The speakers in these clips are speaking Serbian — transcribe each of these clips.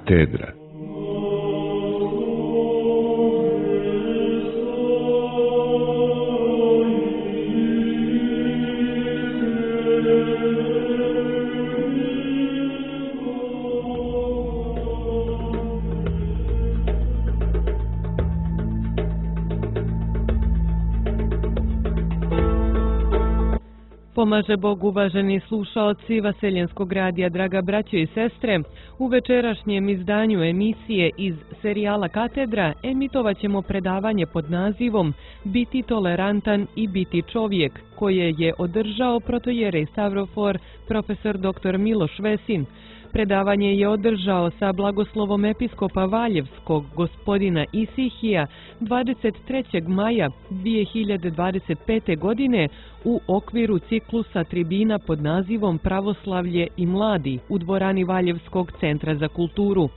Katedra. Pomaže Bog, uvaženi slušaoci Vaseljenskog radija, draga braćo i sestre. U večerašnjem izdanju emisije iz serijala Katedra emitovat ćemo predavanje pod nazivom Biti tolerantan i biti čovjek, koje je održao protojerej Stavrofor profesor dr. Miloš Vesin. Predavanje je održao sa blagoslovom episkopa Valjevskog gospodina Isihija 23. maja 2025. godine u okviru ciklusa tribina pod nazivom Pravoslavlje i mladi u dvorani Valjevskog centra za kulturu.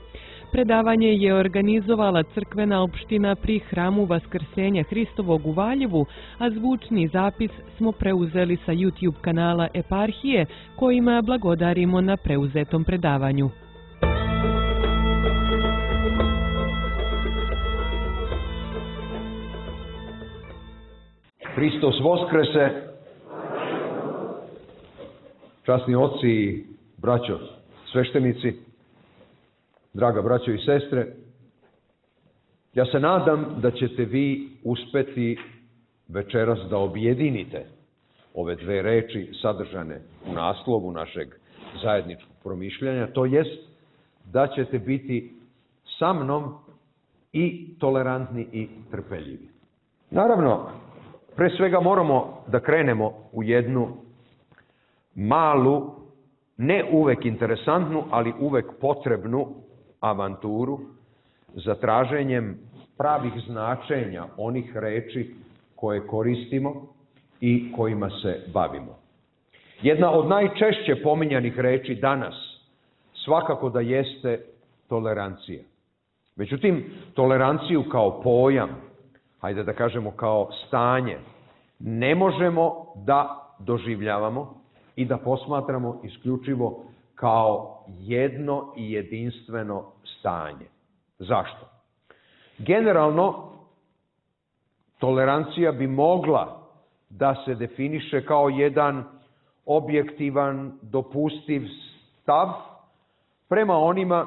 Predavanje je organizovala crkvena opština pri hramu Vaskrsenja Hristovog u Valjevu, a zvučni zapis smo preuzeli sa YouTube kanala Eparhije, kojima blagodarimo na preuzetom predavanju. Hristos Voskrese, časni oci i braćo sveštenici, draga braćo i sestre, ja se nadam da ćete vi uspeti večeras da objedinite ove dve reči sadržane u naslovu našeg zajedničkog promišljanja, to jest da ćete biti sa mnom i tolerantni i trpeljivi. Naravno, pre svega moramo da krenemo u jednu malu, ne uvek interesantnu, ali uvek potrebnu avanturu za traženjem pravih značenja onih reči koje koristimo i kojima se bavimo. Jedna od najčešće pominjanih reči danas svakako da jeste tolerancija. Međutim, toleranciju kao pojam, hajde da kažemo kao stanje, ne možemo da doživljavamo i da posmatramo isključivo kao jedno i jedinstveno stanje. Zašto? Generalno, tolerancija bi mogla da se definiše kao jedan objektivan, dopustiv stav prema onima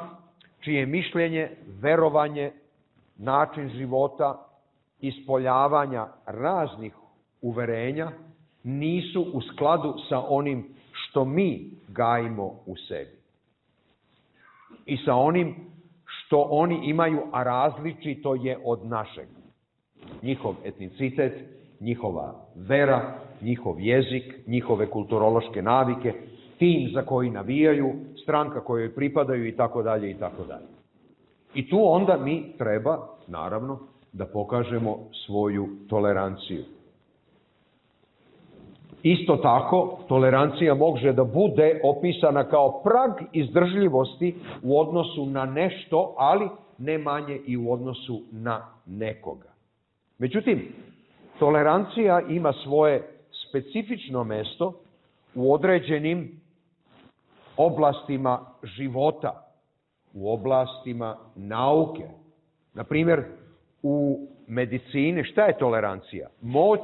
čije mišljenje, verovanje, način života, ispoljavanja raznih uverenja nisu u skladu sa onim što mi gajimo u sebi i sa onim što oni imaju, a različito je od našeg. Njihov etnicitet, njihova vera, njihov jezik, njihove kulturološke navike, tim za koji navijaju, stranka kojoj pripadaju itd. itd. I tu onda mi treba, naravno, da pokažemo svoju toleranciju. Isto tako, tolerancija može da bude opisana kao prag izdržljivosti u odnosu na nešto, ali ne manje i u odnosu na nekoga. Međutim, tolerancija ima svoje specifično mesto u određenim oblastima života, u oblastima nauke. Na primjer, u medicini šta je tolerancija? Moć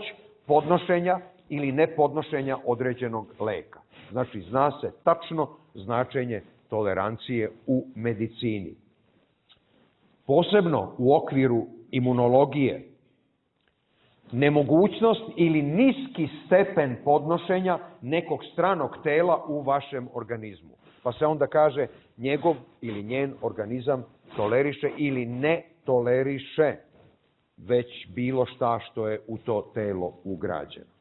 podnošenja ili nepodnošenja određenog leka. Znači, zna se tačno značenje tolerancije u medicini. Posebno u okviru imunologije, nemogućnost ili niski stepen podnošenja nekog stranog tela u vašem organizmu. Pa se onda kaže njegov ili njen organizam toleriše ili ne toleriše već bilo šta što je u to telo ugrađeno.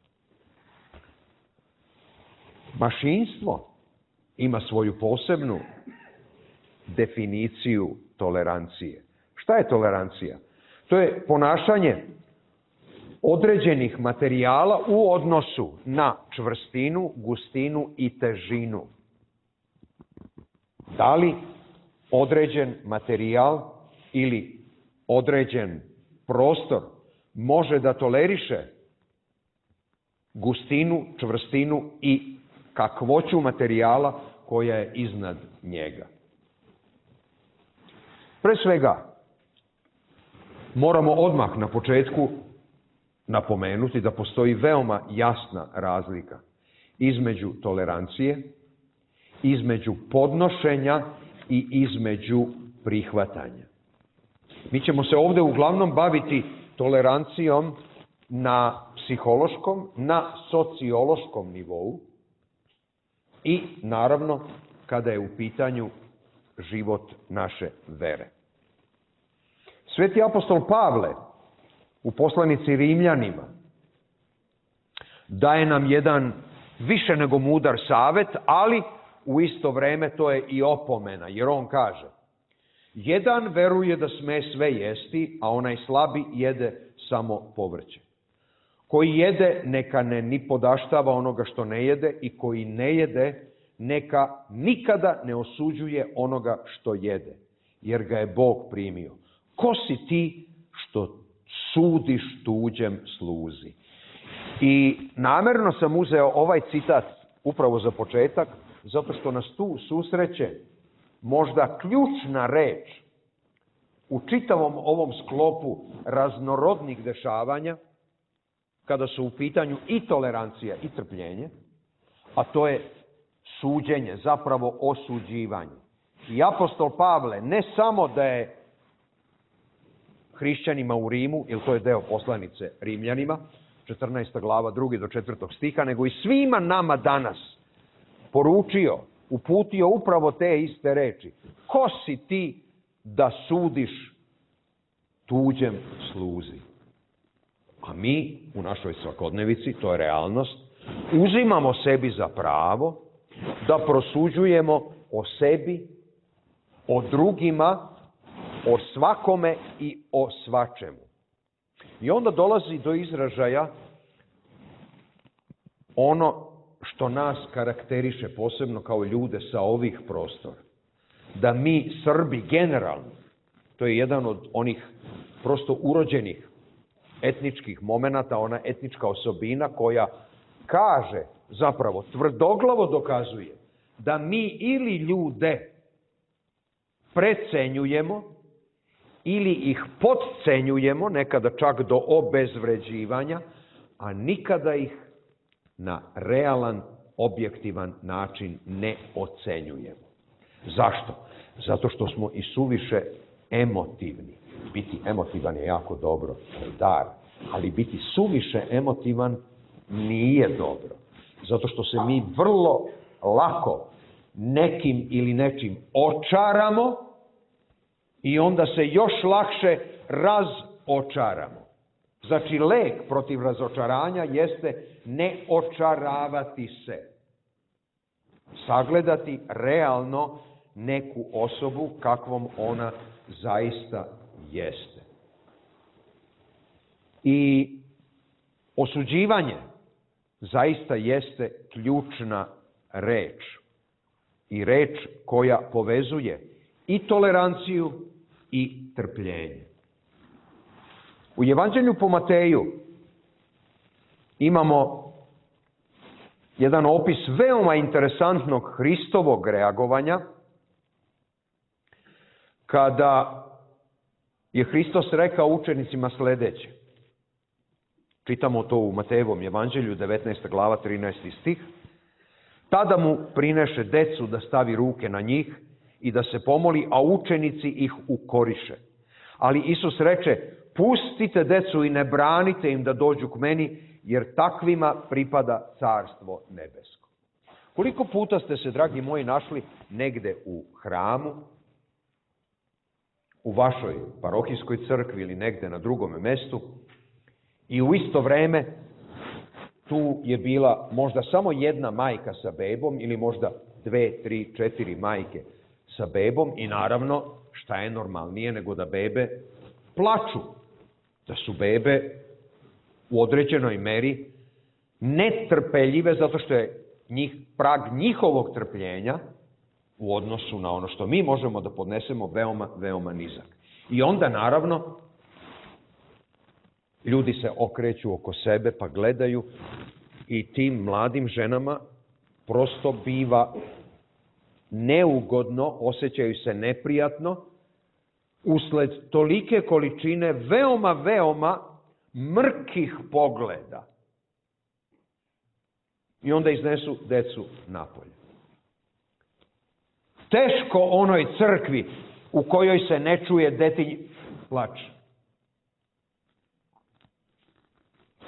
Mašinstvo ima svoju posebnu definiciju tolerancije. Šta je tolerancija? To je ponašanje određenih materijala u odnosu na čvrstinu, gustinu i težinu. Da li određen materijal ili određen prostor može da toleriše gustinu, čvrstinu i kakvoću materijala koja je iznad njega. Pre svega, moramo odmah na početku napomenuti da postoji veoma jasna razlika između tolerancije, između podnošenja i između prihvatanja. Mi ćemo se ovdje uglavnom baviti tolerancijom na psihološkom, na sociološkom nivou i naravno kada je u pitanju život naše vere. Sveti apostol Pavle u poslanici Rimljanima daje nam jedan više nego mudar savjet, ali u isto vrijeme to je i opomena, jer on kaže: jedan veruje da sme sve jesti, a onaj slabi jede samo povrće. Koji jede, neka ne ni podaštava onoga što ne jede, i koji ne jede, neka nikada ne osuđuje onoga što jede, jer ga je Bog primio. Ko si ti što sudiš tuđem sluzi? I namjerno sam uzeo ovaj citat upravo za početak, zato što nas tu susreće možda ključna reč u čitavom ovom sklopu raznorodnih dešavanja, kada su u pitanju i tolerancija i trpljenje, a to je suđenje, zapravo osuđivanje. I apostol Pavle ne samo da je hrišćanima u Rimu, jer to je deo poslanice Rimljanima, 14. glava, 2. do 4. stiha, nego i svima nama danas poručio, uputio upravo te iste reči. Ko si ti da sudiš tuđem sluzi? A mi u našoj svakodnevici, to je realnost, uzimamo sebi za pravo da prosuđujemo o sebi, o drugima, o svakome i o svačemu. I onda dolazi do izražaja ono što nas karakteriše posebno kao ljude sa ovih prostora. Da mi Srbi generalno, to je jedan od onih prosto urođenih etničkih momenata, ona etnička osobina koja kaže, zapravo tvrdoglavo dokazuje, da mi ili ljude precenjujemo ili ih podcenjujemo, nekada čak do obezvređivanja, a nikada ih na realan, objektivan način ne ocenjujemo. Zašto? Zato što smo i suviše emotivni. Biti emotivan je jako dobro, to je dar, ali biti suviše emotivan nije dobro. Zato što se mi vrlo lako nekim ili nečim očaramo i onda se još lakše razočaramo. Znači, lek protiv razočaranja jeste ne očaravati se. Sagledati realno neku osobu kakvom ona zaista jeste. I osuđivanje zaista jeste ključna reč. I reč koja povezuje i toleranciju i trpljenje. U Evanđelju po Mateju imamo jedan opis veoma interesantnog Hristovog reagovanja, kada je Hristos rekao učenicima sljedeće. Čitamo to u Matejevom Evanđelju, 19. glava, 13. stih. Tada mu prineše decu da stavi ruke na njih i da se pomoli, a učenici ih ukoriše. Ali Isus reče: pustite decu i ne branite im da dođu k meni, jer takvima pripada carstvo nebesko. Koliko puta ste se, dragi moji, našli negde u hramu, u vašoj parohijskoj crkvi ili negde na drugome mestu, i u isto vreme tu je bila možda samo jedna majka sa bebom ili možda 2, 3, 4 majke sa bebom, i naravno šta je normalnije nego da bebe plaču, da su bebe u određenoj meri netrpeljive zato što je prag njihovog trpljenja u odnosu na ono što mi možemo da podnesemo veoma, veoma nizak. I onda naravno ljudi se okreću oko sebe pa gledaju i tim mladim ženama prosto biva neugodno, osjećaju se neprijatno, usled tolike količine veoma mrkih pogleda. I onda iznesu decu napolje. Teško onoj crkvi u kojoj se ne čuje detinj plač.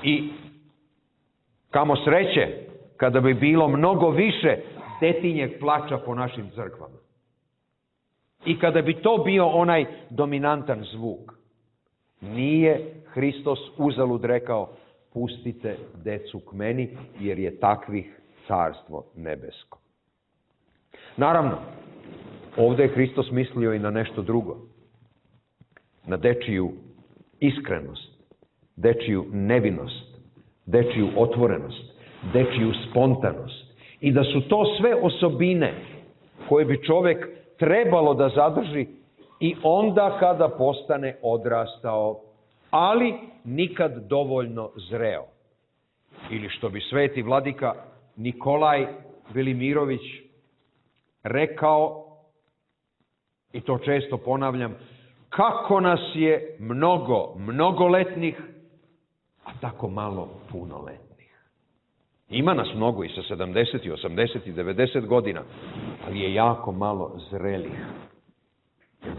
I kamo sreće kada bi bilo mnogo više detinjeg plača po našim crkvama. I kada bi to bio onaj dominantan zvuk. Nije Hristos uzalud rekao: pustite decu k meni, jer je takvih carstvo nebesko. Naravno, ovdje je Hristos mislio i na nešto drugo. Na dečiju iskrenost, dečiju nevinost, dečiju otvorenost, dečiju spontanost. I da su to sve osobine koje bi čovjek trebalo da zadrži i onda kada postane odrastao, ali nikad dovoljno zreo. Ili što bi sveti vladika Nikolaj Velimirović rekao, i to često ponavljam, kako nas je mnogoletnih, a tako malo punoletnih. Ima nas mnogo i sa 70, i 80 i 90 godina, ali je jako malo zrelih.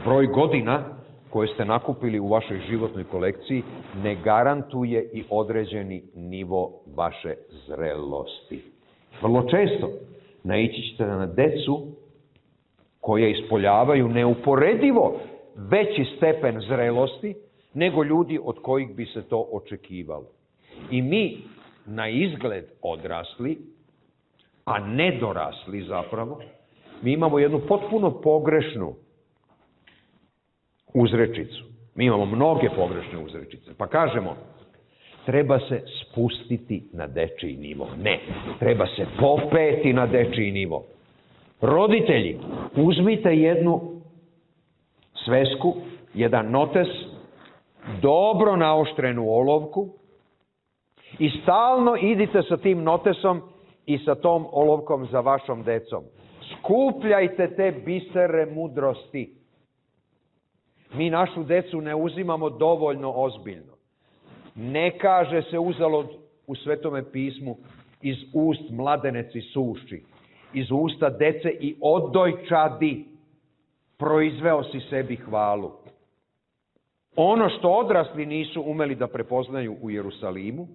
Broj godina koje ste nakupili u vašoj životnoj kolekciji ne garantuje i određeni nivo vaše zrelosti. Vrlo često naići ćete na decu koje ispoljavaju neuporedivo veći stepen zrelosti nego ljudi od kojih bi se to očekivalo. I mi, na izgled odrasli, a nedorasli zapravo, mi imamo jednu potpuno pogrešnu uzrečicu. Mi imamo mnoge pogrešne uzrečice. Pa kažemo, treba se spustiti na dečiji nivo. Ne, treba se popeti na dečiji nivo. Roditelji, uzmite jednu svesku, jedan notes, dobro naoštrenu olovku i stalno idite sa tim notesom i sa tom olovkom za vašom decom. Skupljajte te bisere mudrosti. Mi našu decu ne uzimamo dovoljno ozbiljno. Ne kaže se uzalud u Svetome pismu: iz ust mladeneci suši, iz usta dece i odojčadi proizveo si sebi hvalu. Ono što odrasli nisu umeli da prepoznaju u Jerusalimu,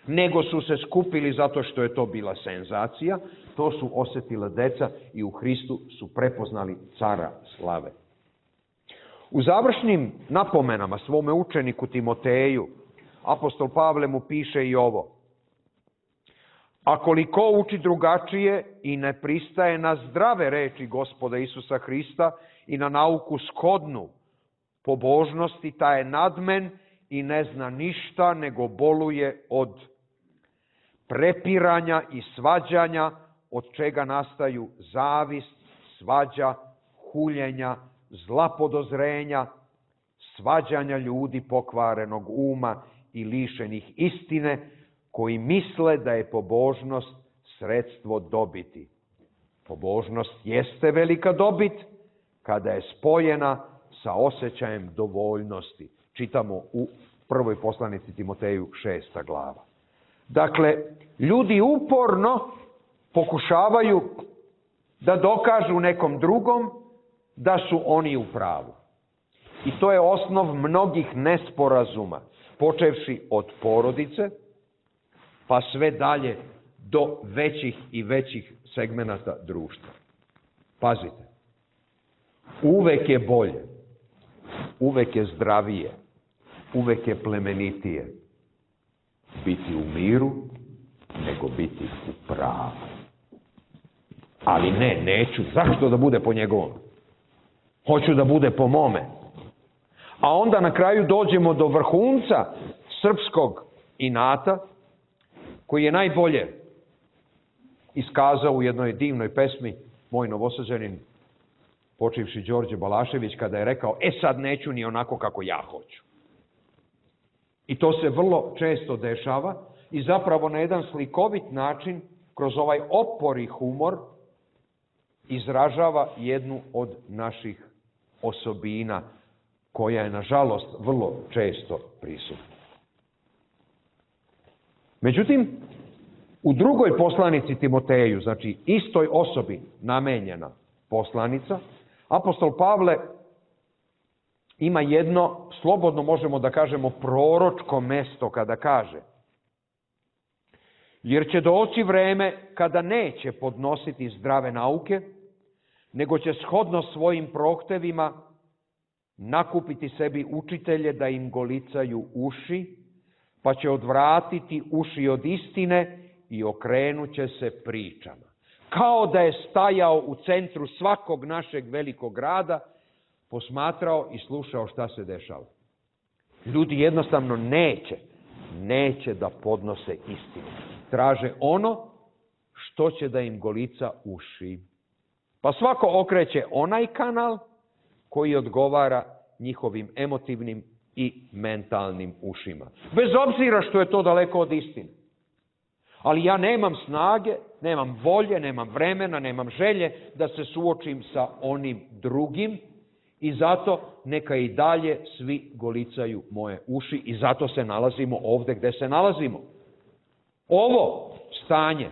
nego su se skupili zato što je to bila senzacija, to su osjetila deca i u Hristu su prepoznali cara slave. U završnim napomenama svome učeniku Timoteju, apostol Pavle mu piše i ovo: a koliko uči drugačije i ne pristaje na zdrave reči Gospoda Isusa Hrista i na nauku shodnu pobožnosti, taj je nadmen i ne zna ništa, nego boluje od prepiranja i svađanja, od čega nastaju zavist, svađa, huljenja, zla podozrenja, svađanja ljudi pokvarenog uma i lišenih istine, koji misle da je pobožnost sredstvo dobiti. Pobožnost jeste velika dobit kada je spojena sa osjećajem dovoljnosti. Čitamo u prvoj poslanici Timoteju 6. glava. Dakle, ljudi uporno pokušavaju da dokažu nekom drugom da su oni u pravu. I to je osnov mnogih nesporazuma, počevši od porodice, pa sve dalje do većih i većih segmenata društva. Pazite, uvek je bolje, uvek je zdravije, uvek je plemenitije biti u miru nego biti u pravu. Ali neću. Zašto da bude po njegovom? Hoću da bude po mome. A onda na kraju dođemo do vrhunca srpskog inata, koji je najbolje iskazao u jednoj divnoj pesmi moj Novosađanin, počivši Đorđe Balašević, kada je rekao: sad neću ni onako kako ja hoću. I to se vrlo često dešava i zapravo na jedan slikovit način, kroz ovaj opor i humor, izražava jednu od naših osobina koja je, nažalost, vrlo često prisutna. Međutim, u drugoj poslanici Timoteju, znači istoj osobi namenjena poslanica, apostol Pavle ima jedno, slobodno možemo da kažemo, proročko mesto kada kaže: jer će doći vreme kada neće podnositi zdrave nauke, nego će shodno svojim prohtevima nakupiti sebi učitelje da im golicaju uši, pa će odvratiti uši od istine i okrenut će se pričama. Kao da je stajao u centru svakog našeg velikog grada, posmatrao i slušao šta se dešava. Ljudi jednostavno neće da podnose istinu. Traže ono što će da im golica uši. Pa svako okreće onaj kanal koji odgovara njihovim emotivnim i mentalnim ušima. Bez obzira što je to daleko od istine. Ali ja nemam snage, nemam volje, nemam vremena, nemam želje da se suočim sa onim drugim i zato neka i dalje svi golicaju moje uši i zato se nalazimo ovde gde se nalazimo. Ovo stanje,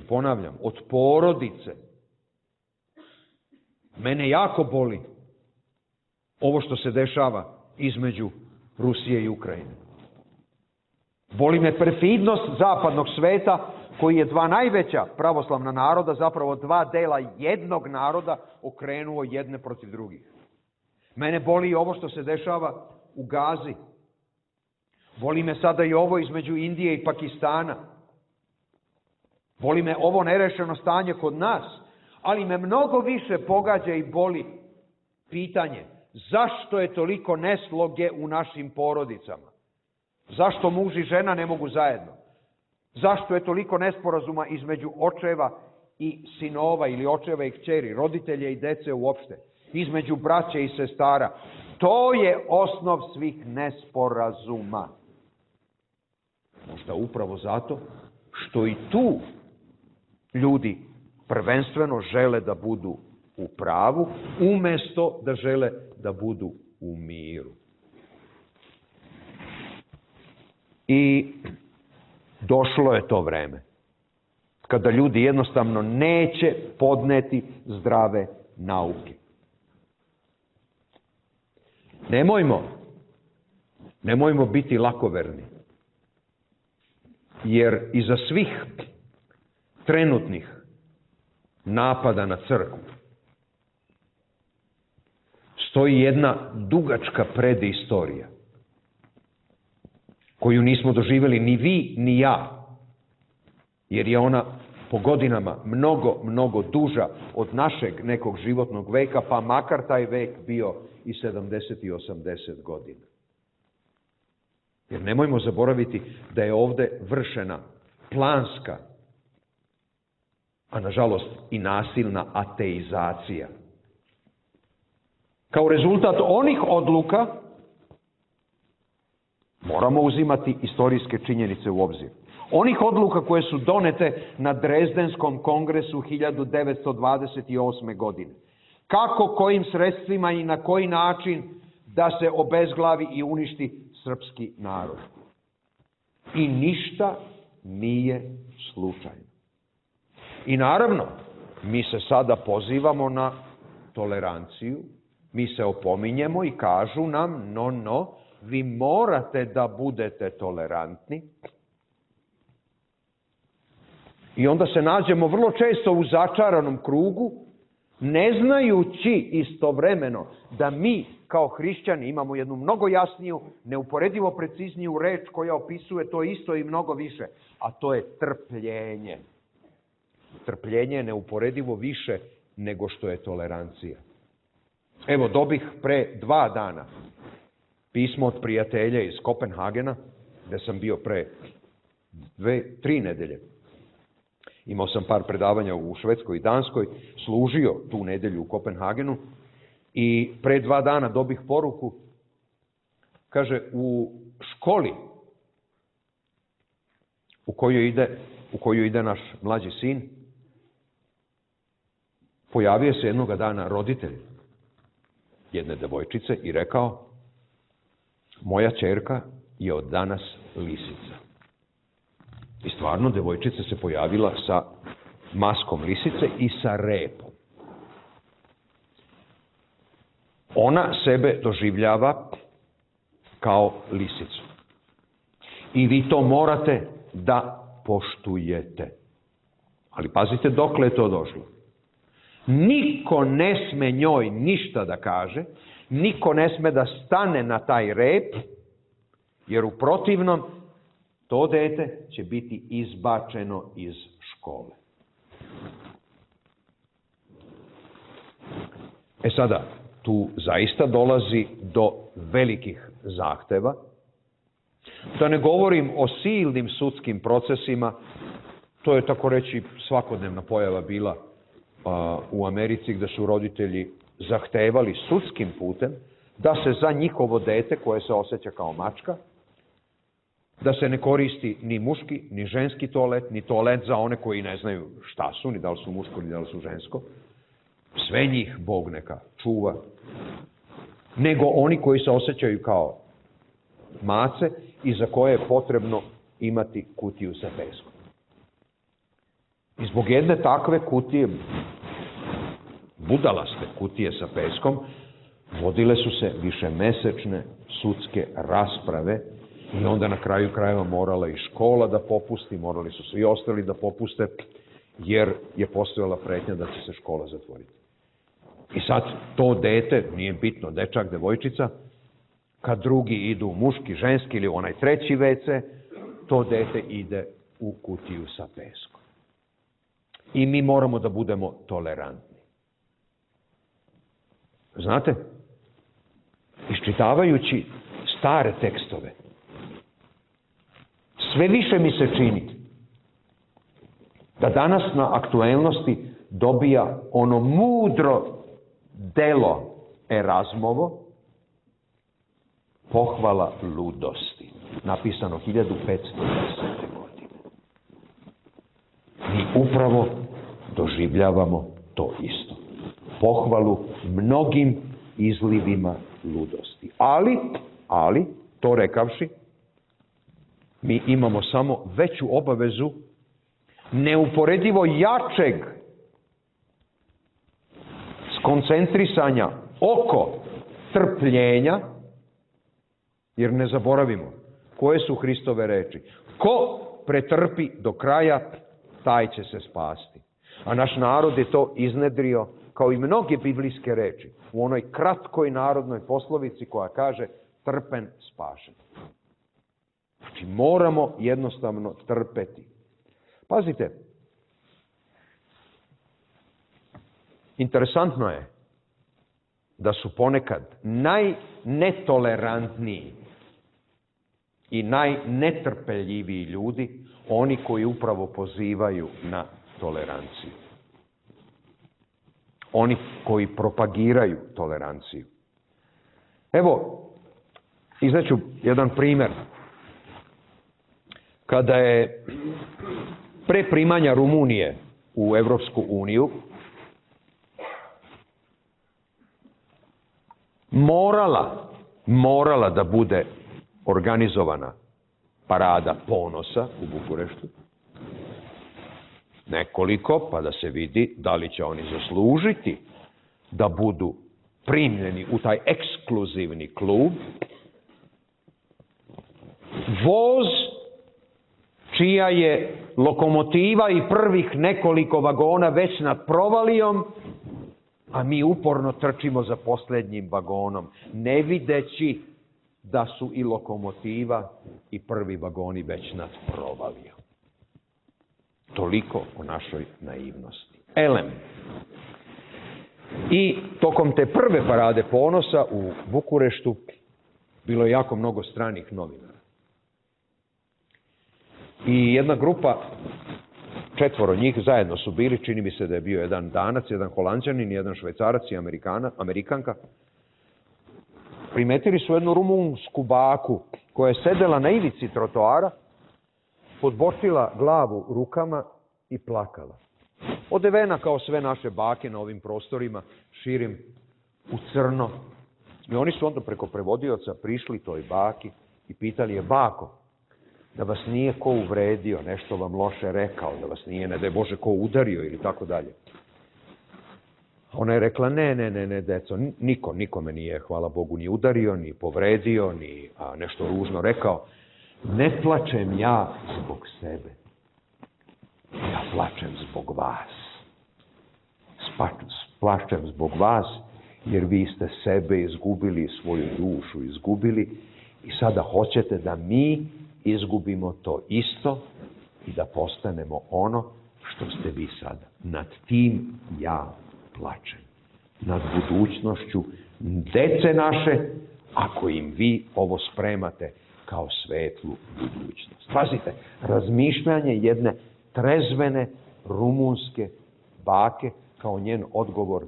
ponavljam, od porodice, mene jako boli ovo što se dešava između Rusije i Ukrajine. Boli me perfidnost zapadnog sveta koji je dva najveća pravoslavna naroda, zapravo dva dela jednog naroda, okrenuo jedne protiv drugih. Mene boli ovo što se dešava u Gazi. Boli me sada i ovo između Indije i Pakistana. Boli me ovo nerešeno stanje kod nas, ali me mnogo više pogađa i boli pitanje zašto je toliko nesloge u našim porodicama? Zašto muž i žena ne mogu zajedno? Zašto je toliko nesporazuma između očeva i sinova ili očeva i kćeri, roditelja i dece uopšte, između braće i sestara? To je osnov svih nesporazuma. Možda upravo zato što i tu ljudi prvenstveno žele da budu u pravu, umesto da žele da budu u miru. I došlo je to vreme kada ljudi jednostavno neće podneti zdrave nauke. Nemojmo biti lakoverni, jer iza svih trenutnih napada na crkvu stoji jedna dugačka predistorija koju nismo doživjeli ni vi ni ja, jer je ona po godinama mnogo duža od našeg nekog životnog veka, pa makar taj vek bio i 70 i 80 godina. Jer nemojmo zaboraviti da je ovde vršena planska, a nažalost i nasilna ateizacija. Kao rezultat onih odluka moramo uzimati istorijske činjenice u obzir. Onih odluka koje su donete na Drezdenskom kongresu 1928. godine. Kako, kojim sredstvima i na koji način da se obezglavi i uništi srpski narod. I ništa nije slučajno. I naravno, mi se sada pozivamo na toleranciju, mi se opominjemo i kažu nam, vi morate da budete tolerantni. I onda se nađemo vrlo često u začaranom krugu, ne znajući istovremeno da mi kao hrišćani imamo jednu mnogo jasniju, neuporedivo precizniju reč koja opisuje to isto i mnogo više, a to je trpljenje. Trpljenje je neuporedivo više nego što je tolerancija. Evo, dobih pre 2 dana pismo od prijatelja iz Kopenhagena, gde sam bio pre 3 nedelje. Imao sam par predavanja u Švedskoj i Danskoj, služio tu nedelju u Kopenhagenu i pre 2 dana dobih poruku, kaže, u školi u koju ide naš mlađi sin, pojavio se jednoga dana roditelj jedne devojčice i rekao: moja ćerka je od danas lisica. I stvarno devojčica se pojavila sa maskom lisice i sa repom. Ona sebe doživljava kao lisicu. I vi to morate da poštujete. Ali pazite dokle je to došlo. Niko ne sme njoj ništa da kaže, niko ne sme da stane na taj rep, jer u protivnom to dete će biti izbačeno iz škole. E sada, tu zaista dolazi do velikih zahteva. Da ne govorim o silnim sudskim procesima, to je tako reći svakodnevna pojava bila u Americi, gde su roditelji zahtevali sudskim putem da se za njihovo dete, koje se osjeća kao mačka, da se ne koristi ni muški, ni ženski toalet, ni toalet za one koji ne znaju šta su, ni da li su muško, ni da li su žensko. Sve njih Bog neka čuva. Nego oni koji se osjećaju kao mace i za koje je potrebno imati kutiju sa peskom. I zbog jedne takve kutije, budalaste kutije sa peskom, vodile su se višemesečne sudske rasprave i onda na kraju krajeva morala i škola da popusti, morali su svi ostali da popuste, jer je postojala pretnja da će se škola zatvoriti. I sad to dete, nije bitno, dečak, devojčica, kad drugi idu u muški, ženski ili onaj treći WC, to dete ide u kutiju sa peskom. I mi moramo da budemo tolerantni. Znate, iščitavajući stare tekstove, sve više mi se čini da danas na aktuelnosti dobija ono mudro delo Erazmovo, Pohvala ludosti, napisano 1510. godine. Mi upravo doživljavamo to isto. Pohvalu mnogim izlivima ludosti. Ali, to rekavši, mi imamo samo veću obavezu neuporedivo jačeg skoncentrisanja oko trpljenja, jer ne zaboravimo koje su Hristove reči. Ko pretrpi do kraja, taj će se spasti. A naš narod je to iznedrio kao i mnoge biblijske reči u onoj kratkoj narodnoj poslovici koja kaže trpen spašen. Znači moramo jednostavno trpeti. Pazite, interesantno je da su ponekad najnetolerantniji i najnetrpeljiviji ljudi oni koji upravo pozivaju na toleranciju. Oni koji propagiraju toleranciju. Evo, izneću jedan primer. Kada je pre primanja Rumunije u Evropsku uniju morala da bude organizovana parada ponosa u Bukureštu. Nekoliko, pa da se vidi da li će oni zaslužiti da budu primljeni u taj ekskluzivni klub. Voz čija je lokomotiva i prvih nekoliko vagona već nad provalijom, a mi uporno trčimo za posljednjim vagonom, ne videći da su i lokomotiva i prvi vagoni već nad provalijom. Toliko o našoj naivnosti. Elem. I tokom te prve parade ponosa u Bukureštu bilo je jako mnogo stranih novinara. I jedna grupa, 4 njih, zajedno su bili, čini mi se da je bio jedan Danac, jedan Holanđanin, jedan Švajcarac i Amerikanka. Primetili su jednu rumunsku baku koja je sedela na ivici trotoara, podbočila glavu rukama i plakala. Odevena kao sve naše bake na ovim prostorima, širim u crno, I oni su onda preko prevodioca prišli toj baki i pitali je: bako, da vas nije ko uvredio, nešto vam loše rekao, da vas nije, ne daj Bože, ko udario ili tako dalje. Ona je rekla: ne, deco, niko me nije, hvala Bogu, ni udario, ni povredio, ni nešto ružno rekao. Ne plačem ja zbog sebe. Ja plačem zbog vas. Plačem zbog vas, jer vi ste sebe izgubili, svoju dušu izgubili i sada hoćete da mi izgubimo to isto i da postanemo ono što ste vi sada. Nad tim ja plačem. Nad budućnošću dece naše, ako im vi ovo spremate kao svetlu budućnost. Pazite, razmišljanje jedne trezvene rumunske bake kao njen odgovor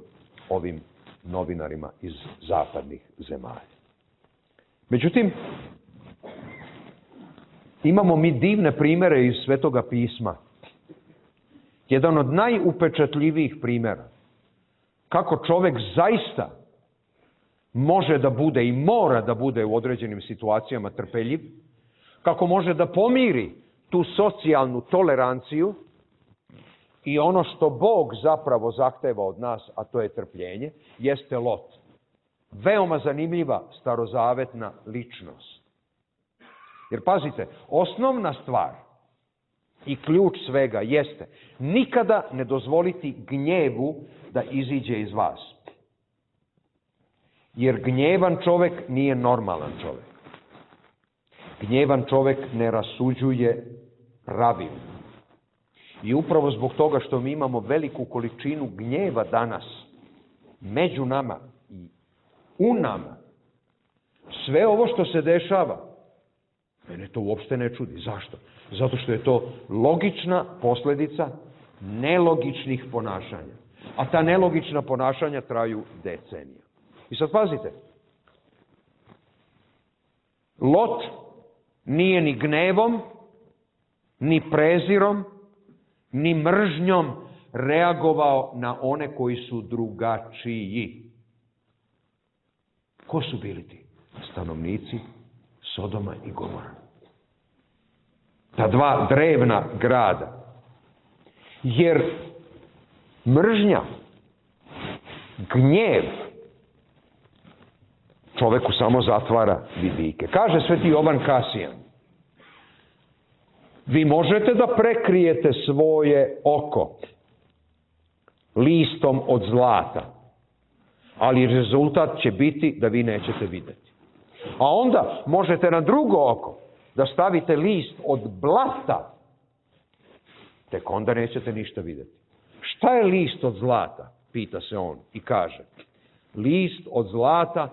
ovim novinarima iz zapadnih zemalja. Međutim, imamo mi divne primere iz Svetoga pisma. Jedan od najupečatljivijih primjera kako čovjek zaista može da bude i mora da bude u određenim situacijama trpeljiv, kako može da pomiri tu socijalnu toleranciju i ono što Bog zapravo zahteva od nas, a to je trpljenje, jeste Lot. Veoma zanimljiva starozavetna ličnost. Jer pazite, osnovna stvar i ključ svega jeste nikada ne dozvoliti gnjevu da iziđe iz vas. Jer gnjevan čovjek nije normalan čovjek. Gnjevan čovjek ne rasuđuje pravilno. I upravo zbog toga što mi imamo veliku količinu gnjeva danas među nama i u nama, sve ovo što se dešava, mene to uopšte ne čudi. Zašto? Zato što je to logična posljedica nelogičnih ponašanja. A ta nelogična ponašanja traju decenija. I sad pazite, Lot nije ni gnevom, ni prezirom, ni mržnjom reagovao na one koji su drugačiji. Ko su bili ti? Stanovnici Sodoma i Gomora. Ta dva drevna grada. Jer mržnja, gnjev čoveku samo zatvara vidike. Kaže sveti Jovan Kasijan: vi možete da prekrijete svoje oko listom od zlata, ali rezultat će biti da vi nećete vidjeti. A onda možete na drugo oko da stavite list od blata, tek onda nećete ništa vidjeti. Šta je list od zlata? Pita se on i kaže: list od zlata,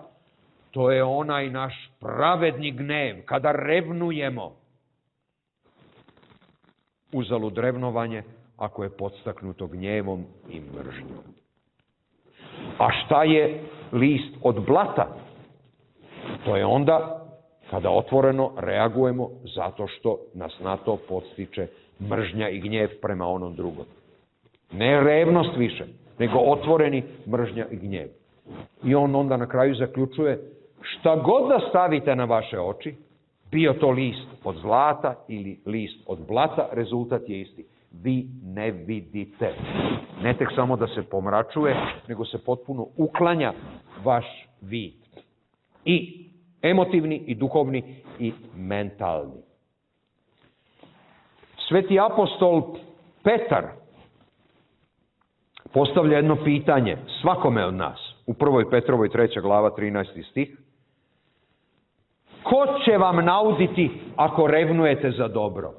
to je onaj naš pravedni gnev, kada revnujemo. Uzalud revnovanje ako je podstaknuto gnjevom i mržnjom. A šta je list od blata? To je onda kada otvoreno reagujemo zato što nas na to podstiče mržnja i gnjev prema onom drugom. Ne revnost više, nego otvoreni mržnja i gnjev. I on onda na kraju zaključuje: šta god da stavite na vaše oči, bio to list od zlata ili list od blata, rezultat je isti. Vi ne vidite. Ne tek samo da se pomračuje, nego se potpuno uklanja vaš vid. I emotivni, i duhovni, i mentalni. Sveti apostol Petar postavlja jedno pitanje svakome od nas. U 1. Petrovoj 3. glava 13. stih. Ko će vam nauditi ako revnujete za dobro?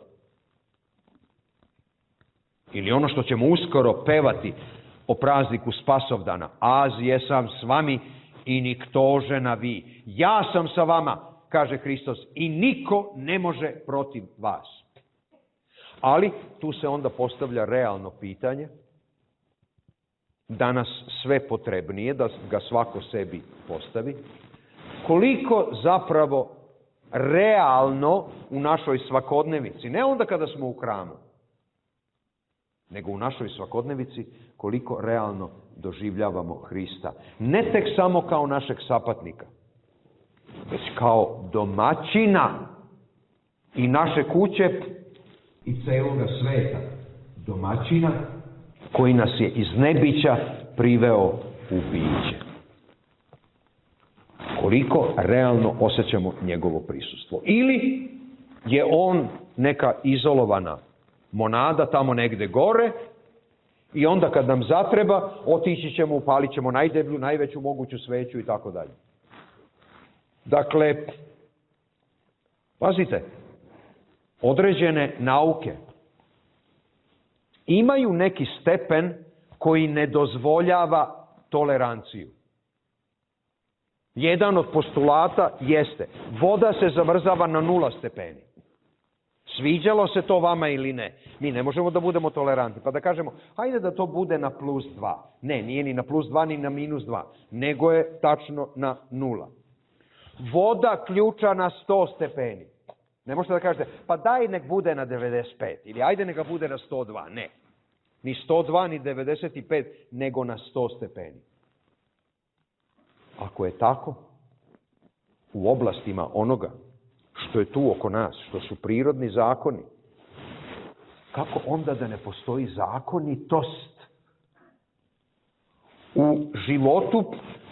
Ili ono što ćemo uskoro pevati o prazniku Spasovdana. Az jesam s vami i niktože na vi. Ja sam sa vama, kaže Hristos, i niko ne može protiv vas. Ali tu se onda postavlja realno pitanje, danas sve potrebnije, da ga svako sebi postavi. Koliko zapravo realno u našoj svakodnevici, ne onda kada smo u hramu, nego u našoj svakodnevici, koliko realno doživljavamo Hrista. Ne tek samo kao našeg sapatnika, već kao domaćina i naše kuće i celoga sveta. Domaćina koji nas je iz nebića priveo u biće. Koliko realno osjećamo njegovo prisustvo. Ili je on neka izolovana monada tamo negde gore i onda kad nam zatreba otići ćemo, upalit ćemo najdeblju, najveću moguću sveću i tako dalje. Dakle, pazite, određene nauke imaju neki stepen koji ne dozvoljava toleranciju. Jedan od postulata jeste, voda se zamrzava na 0 stepeni. Sviđalo se to vama ili ne? Mi ne možemo da budemo tolerantni. Pa da kažemo, hajde da to bude na +2. Ne, nije ni na +2 ni na -2. Nego je tačno na 0. Voda ključa na 100 stepeni. Ne možete da kažete, pa daj nek bude na 95. Ili ajde neka bude na 102. Ne. Ni 102, ni 95, nego na 100 stepeni. Ako je tako, u oblastima onoga što je tu oko nas, što su prirodni zakoni, kako onda da ne postoji zakonitost u životu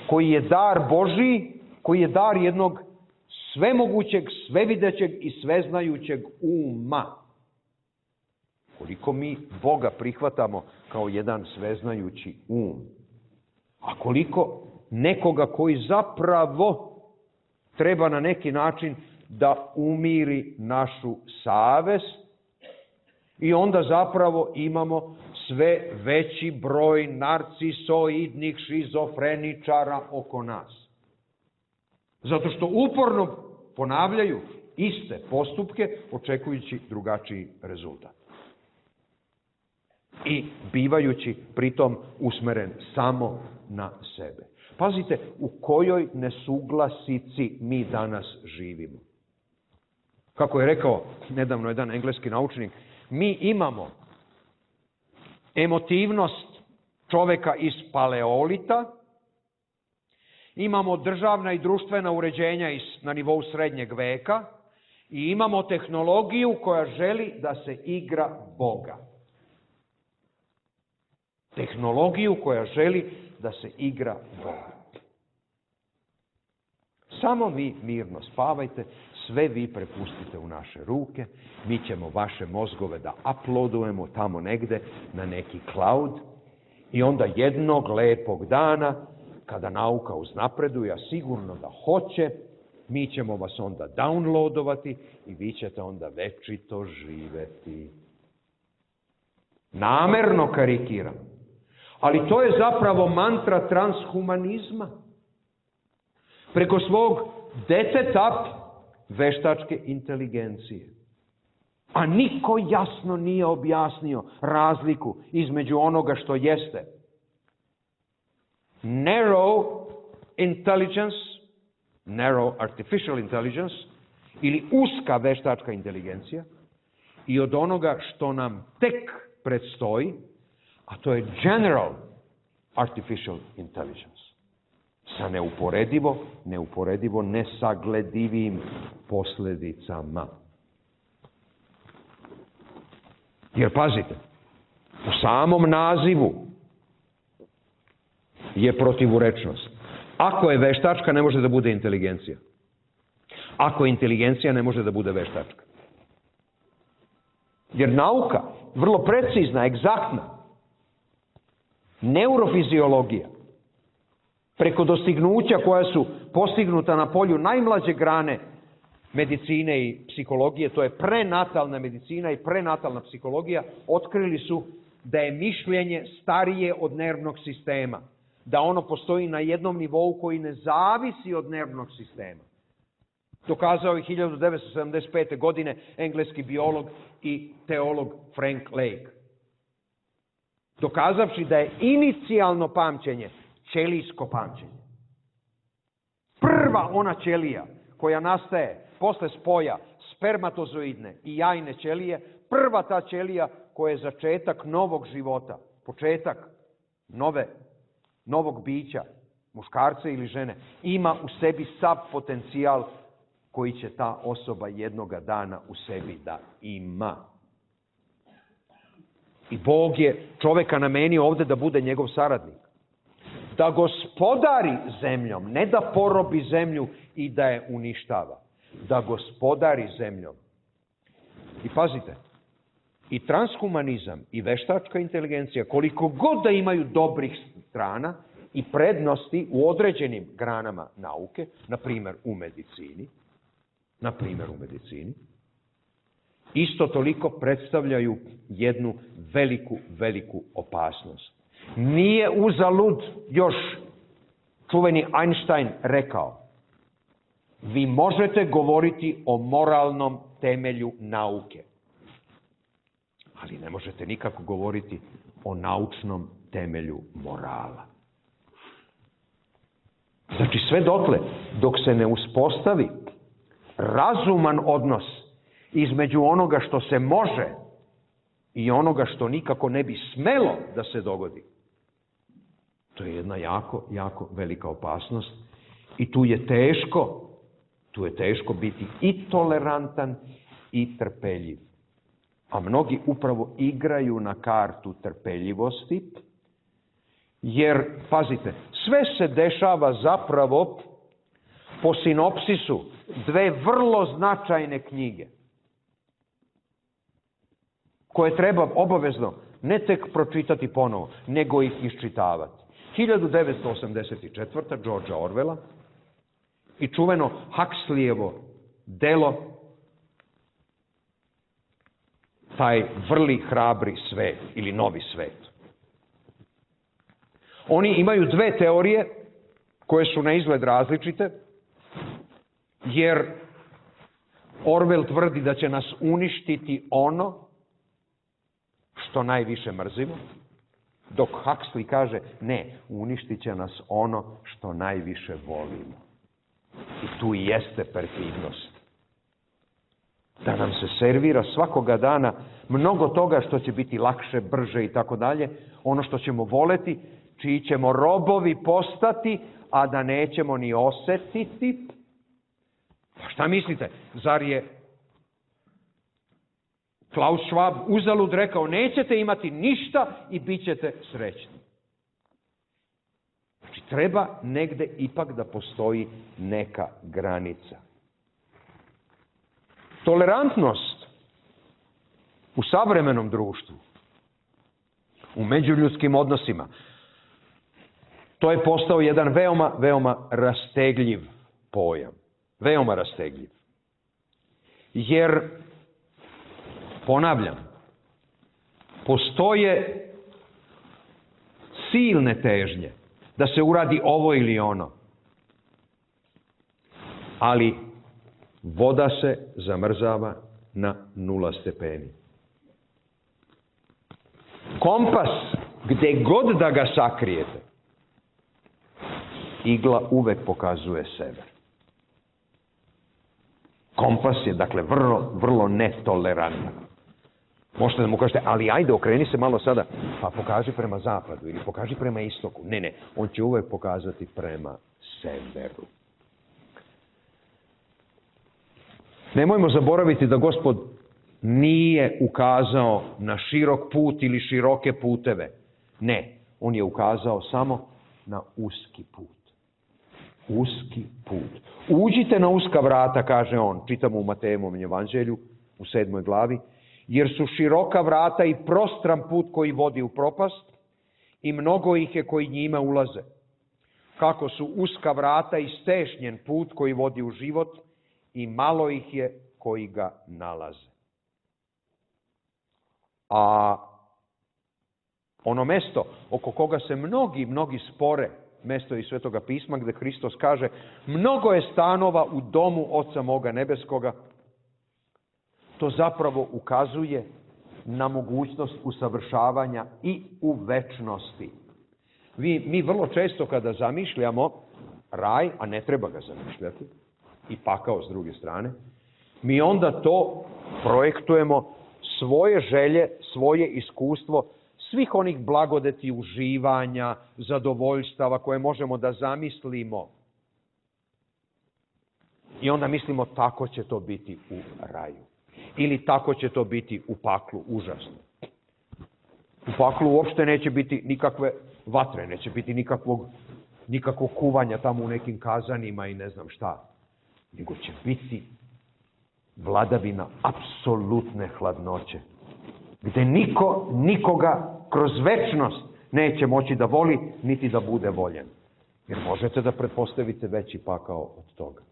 koji je dar Božiji, koji je dar jednog svemogućeg, svevidećeg i sveznajućeg uma. Koliko mi Boga prihvatamo kao jedan sveznajući um, a koliko nekoga koji zapravo treba na neki način da umiri našu savest i onda zapravo imamo sve veći broj narcisoidnih šizofreničara oko nas. Zato što uporno ponavljaju iste postupke očekujući drugačiji rezultat. I bivajući pritom usmeren samo na sebe. Pazite u kojoj nesuglasici mi danas živimo. Kako je rekao nedavno jedan engleski naučnik, mi imamo emotivnost čoveka iz paleolita, imamo državna i društvena uređenja na nivou srednjeg veka i imamo tehnologiju koja želi da se igra Boga. Tehnologiju koja želi da se igra Boga. Samo vi mirno spavajte, sve vi prepustite u naše ruke, mi ćemo vaše mozgove da uploadujemo tamo negde na neki cloud i onda jednog lepog dana, kada nauka uznapreduje, a sigurno da hoće, mi ćemo vas onda downloadovati i vi ćete onda večito živeti. Namerno karikiram. Ali to je zapravo mantra transhumanizma. Preko svog deteta veštačke inteligencije. A niko jasno nije objasnio razliku između onoga što jeste narrow intelligence, narrow artificial intelligence, ili uska veštačka inteligencija, i od onoga što nam tek predstoji, a to je general artificial intelligence. Sa neuporedivo nesagledivim posljedicama. Jer pazite, u samom nazivu je protivurečnost. Ako je veštačka, ne može da bude inteligencija. Ako je inteligencija, ne može da bude veštačka. Jer nauka, vrlo precizna, egzaktna, neurofiziologija, preko dostignuća koja su postignuta na polju najmlađe grane medicine i psihologije, to je prenatalna medicina i prenatalna psihologija, otkrili su da je mišljenje starije od nervnog sistema, da ono postoji na jednom nivou koji ne zavisi od nervnog sistema. Dokazao je 1975. godine engleski biolog i teolog Frank Lake. Dokazavši da je inicijalno pamćenje ćelijsko pamćenje. Prva ona ćelija koja nastaje posle spoja spermatozoidne i jajne ćelije, prva ta ćelija koja je začetak novog života, početak novog bića, muškarca ili žene, ima u sebi sav potencijal koji će ta osoba jednoga dana u sebi da ima. I Bog je čoveka namenio ovde da bude njegov saradnik. Da gospodari zemljom, ne da porobi zemlju i da je uništava. Da gospodari zemljom. I pazite, i transhumanizam i veštačka inteligencija, koliko god da imaju dobrih strana i prednosti u određenim granama nauke, na primjer u medicini, isto toliko predstavljaju jednu veliku opasnost. Nije uzalud još čuveni Einstein rekao: vi možete govoriti o moralnom temelju nauke, ali ne možete nikako govoriti o naučnom temelju morala. Znači sve dotle, dok se ne uspostavi razuman odnos između onoga što se može i onoga što nikako ne bi smelo da se dogodi, to je jedna jako velika opasnost i tu je teško biti i tolerantan i trpeljiv. A mnogi upravo igraju na kartu trpeljivosti, jer, pazite, sve se dešava zapravo po sinopsisu dve vrlo značajne knjige, koje treba obavezno ne tek pročitati ponovo, nego ih iščitavati. 1984. Georgea Orwella i čuveno Huxleyevo delo taj vrli hrabri svet ili novi svet. Oni imaju dve teorije koje su na izgled različite, jer Orwell tvrdi da će nas uništiti ono što najviše mrzimo, dok Huxley kaže ne, uništit će nas ono što najviše volimo. I tu i jeste perfidnost. Da nam se servira svakoga dana mnogo toga što će biti lakše, brže i tako dalje, ono što ćemo voleti, čiji ćemo robovi postati, a da nećemo ni osetiti. Pa šta mislite, zar je Klaus Schwab uzalud rekao nećete imati ništa i bit ćete srećni? Znači treba negde ipak da postoji neka granica. Tolerantnost u savremenom društvu, u međuljudskim odnosima, to je postao jedan veoma rastegljiv pojam. Veoma rastegljiv. Jer, ponavljam, postoje silne težnje da se uradi ovo ili ono. Ali voda se zamrzava na 0 stepeni. Kompas, gde god da ga sakrijete, igla uvek pokazuje sever. Kompas je, dakle, vrlo netolerantan. Možete da mu kažete, ali ajde, okreni se malo sada, pa pokaži prema zapadu ili pokaži prema istoku. Ne, on će uvek pokazati prema severu. Nemojmo zaboraviti da Gospod nije ukazao na širok put ili široke puteve. Ne, on je ukazao samo na uski put. Uski put. Uđite na uska vrata, kaže on, čitamo u Matejevom evanđelju u 7. glavi, jer su široka vrata i prostran put koji vodi u propast i mnogo ih je koji njima ulaze. Kako su uska vrata i stešnjen put koji vodi u život i malo ih je koji ga nalaze. A ono mesto oko koga se mnogi spore, mesto iz Svetoga pisma gde Hristos kaže mnogo je stanova u domu Oca moga nebeskoga, to zapravo ukazuje na mogućnost usavršavanja i u večnosti. Mi vrlo često kada zamišljamo raj, a ne treba ga zamišljati, i pakao s druge strane, mi onda to projektujemo svoje želje, svoje iskustvo svih onih blagodeti, uživanja, zadovoljstava koje možemo da zamislimo. I onda mislimo tako će to biti u raju. Ili tako će to biti u paklu, užasno. U paklu uopšte neće biti nikakve vatre, neće biti nikakvog kuvanja tamo u nekim kazanima i ne znam šta. Nego će biti vladavina apsolutne hladnoće. Gde niko nikoga kroz večnost neće moći da voli, niti da bude voljen. Jer možete da pretpostavite veći pakao od toga.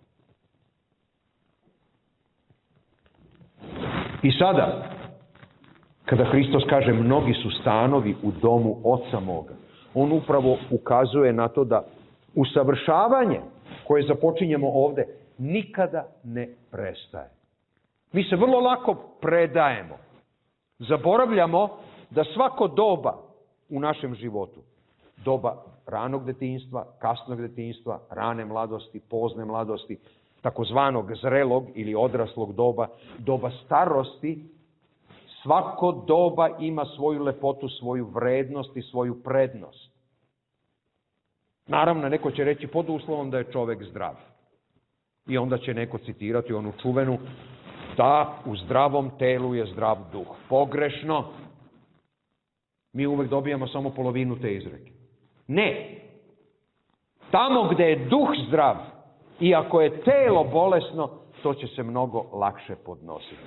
I sada, kada Hristos kaže mnogi su stanovi u domu Oca moga, on upravo ukazuje na to da usavršavanje koje započinjemo ovde nikada ne prestaje. Mi se vrlo lako predajemo. Zaboravljamo da svako doba u našem životu, doba ranog detinjstva, kasnog detinjstva, rane mladosti, pozne mladosti, takozvanog zrelog ili odraslog doba, doba starosti, svako doba ima svoju lepotu, svoju vrednost i svoju prednost. Naravno, neko će reći pod uslovom da je čovek zdrav. I onda će neko citirati onu čuvenu da u zdravom telu je zdrav duh. Pogrešno. Mi uvek dobijamo samo polovinu te izreke. Ne. Tamo gde je duh zdrav, i ako je telo bolesno, to će se mnogo lakše podnositi.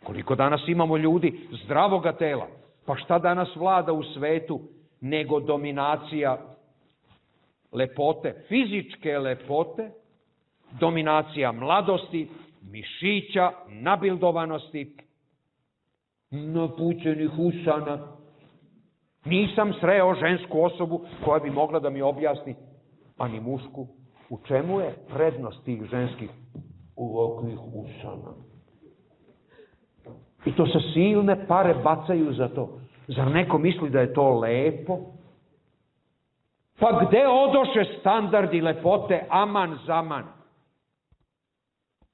Koliko danas imamo ljudi zdravoga tela? Pa šta danas vlada u svetu nego dominacija lepote, fizičke lepote, dominacija mladosti, mišića, nabildovanosti, napućenih usana. Nisam sreo žensku osobu koja bi mogla da mi objasni, a ni mušku, u čemu je prednost tih ženskih ovakvih usana. I to sa silne pare bacaju za to. Zar neko misli da je to lepo? Pa gde odoše standardi lepote aman zaman?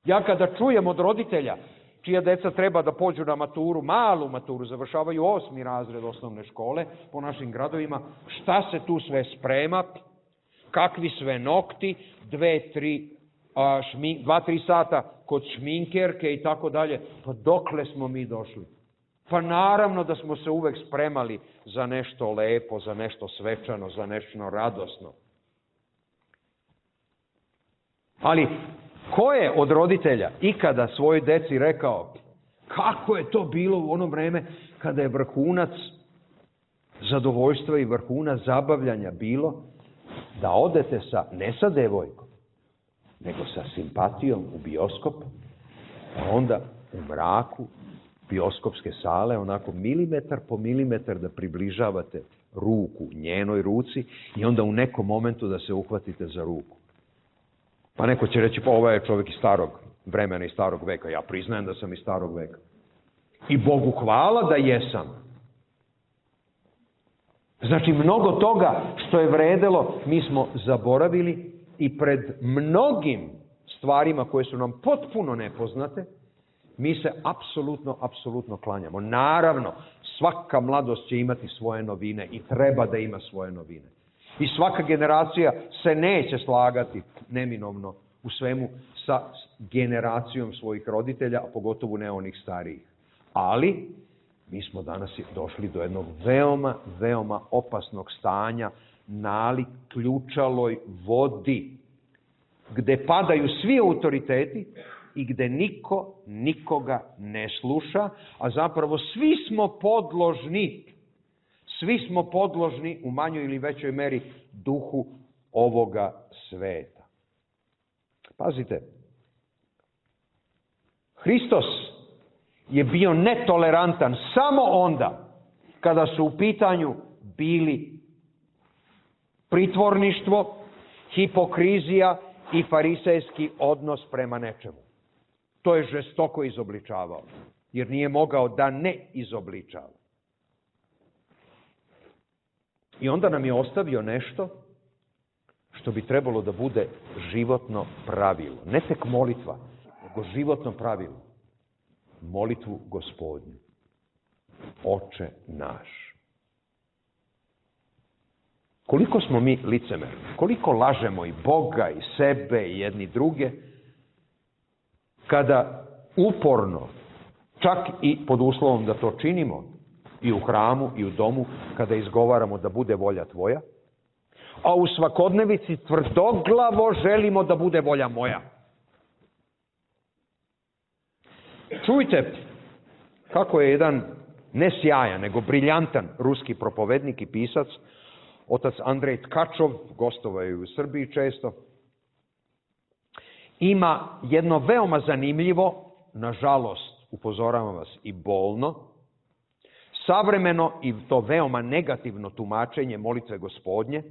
Ja kada čujem od roditelja, čija deca treba da pođu na maturu, malu maturu, završavaju 8. razred osnovne škole po našim gradovima, šta se tu sve sprema, kakvi sve nokti, 2-3 sata kod šminkerke i tako dalje. Pa dokle smo mi došli? Pa naravno da smo se uvek spremali za nešto lepo, za nešto svečano, za nešto radosno. Ali ko je od roditelja ikada svojoj deci rekao kako je to bilo u ono vreme kada je vrhunac zadovoljstva i vrhunac zabavljanja bilo da odete ne sa devojkom, nego sa simpatijom u bioskop, a onda u mraku bioskopske sale, onako milimetar po milimetar da približavate ruku njenoj ruci i onda u nekom momentu da se uhvatite za ruku. Pa neko će reći, pa ovo je čovjek iz starog vremena i starog veka. Ja priznajem da sam iz starog veka. I Bogu hvala da jesam. Znači, mnogo toga što je vredelo, mi smo zaboravili i pred mnogim stvarima koje su nam potpuno nepoznate, mi se apsolutno klanjamo. Naravno, svaka mladost će imati svoje novine i treba da ima svoje novine. I svaka generacija se neće slagati neminovno u svemu sa generacijom svojih roditelja, a pogotovo ne onih starijih. Ali mi smo danas došli do jednog veoma opasnog stanja, nalik ključaloj vodi, gde padaju svi autoriteti i gde niko nikoga ne sluša, a zapravo svi smo podložni u manjoj ili većoj meri duhu ovoga sveta. Pazite, Hristos je bio netolerantan samo onda kada su u pitanju bili pritvorništvo, hipokrizija i farisejski odnos prema nečemu. To je žestoko izobličavao, jer nije mogao da ne izobličava. I onda nam je ostavio nešto što bi trebalo da bude životno pravilo. Ne tek molitva, nego životno pravilo. Molitvu Gospodnju. Oče naš. Koliko smo mi licemerni, koliko lažemo i Boga i sebe i jedni druge, kada uporno, čak i pod uslovom da to činimo, i u hramu i u domu, kada izgovaramo da bude volja tvoja, a u svakodnevici tvrdoglavo želimo da bude volja moja. Čujte kako je jedan ne sjajan, nego briljantan ruski propovednik i pisac, otac Andrej Tkačov, gostovao je u Srbiji često, ima jedno veoma zanimljivo, nažalost, upozoravam vas, i bolno, savremeno i to veoma negativno tumačenje molitve Gospodnje,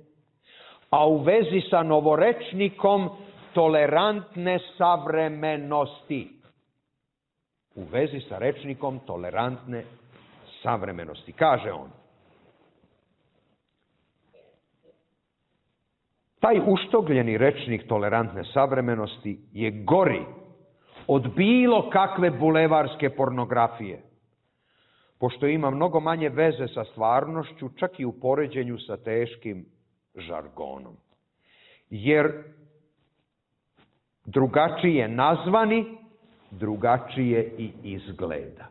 a u vezi sa novorečnikom tolerantne savremenosti. U vezi sa rečnikom tolerantne savremenosti. Kaže on: taj uštogljeni rečnik tolerantne savremenosti je gori od bilo kakve bulevarske pornografije, pošto ima mnogo manje veze sa stvarnošću, čak i u poređenju sa teškim žargonom. Jer drugačije nazvani, drugačije i izgleda.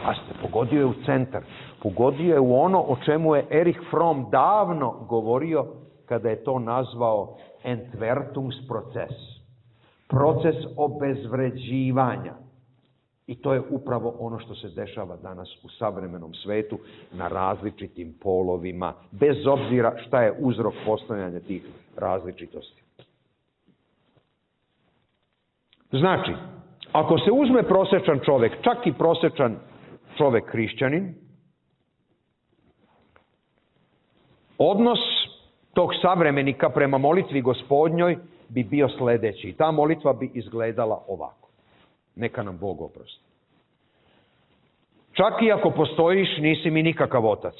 A ste pogodio je u centar. Pogodio je u ono o čemu je Erich Fromm davno govorio kada je to nazvao Entwertungsprozess. Proces obezvređivanja. I to je upravo ono što se dešava danas u savremenom svetu na različitim polovima, bez obzira šta je uzrok postojanja tih različitosti. Znači, ako se uzme prosečan čovek, čak i prosečan čovek hrišćanin, odnos tog savremenika prema molitvi Gospodnjoj bi bio sledeći. Ta molitva bi izgledala ovako. Neka nam Bog oprosti. Čak i ako postojiš, nisi mi nikakav otac.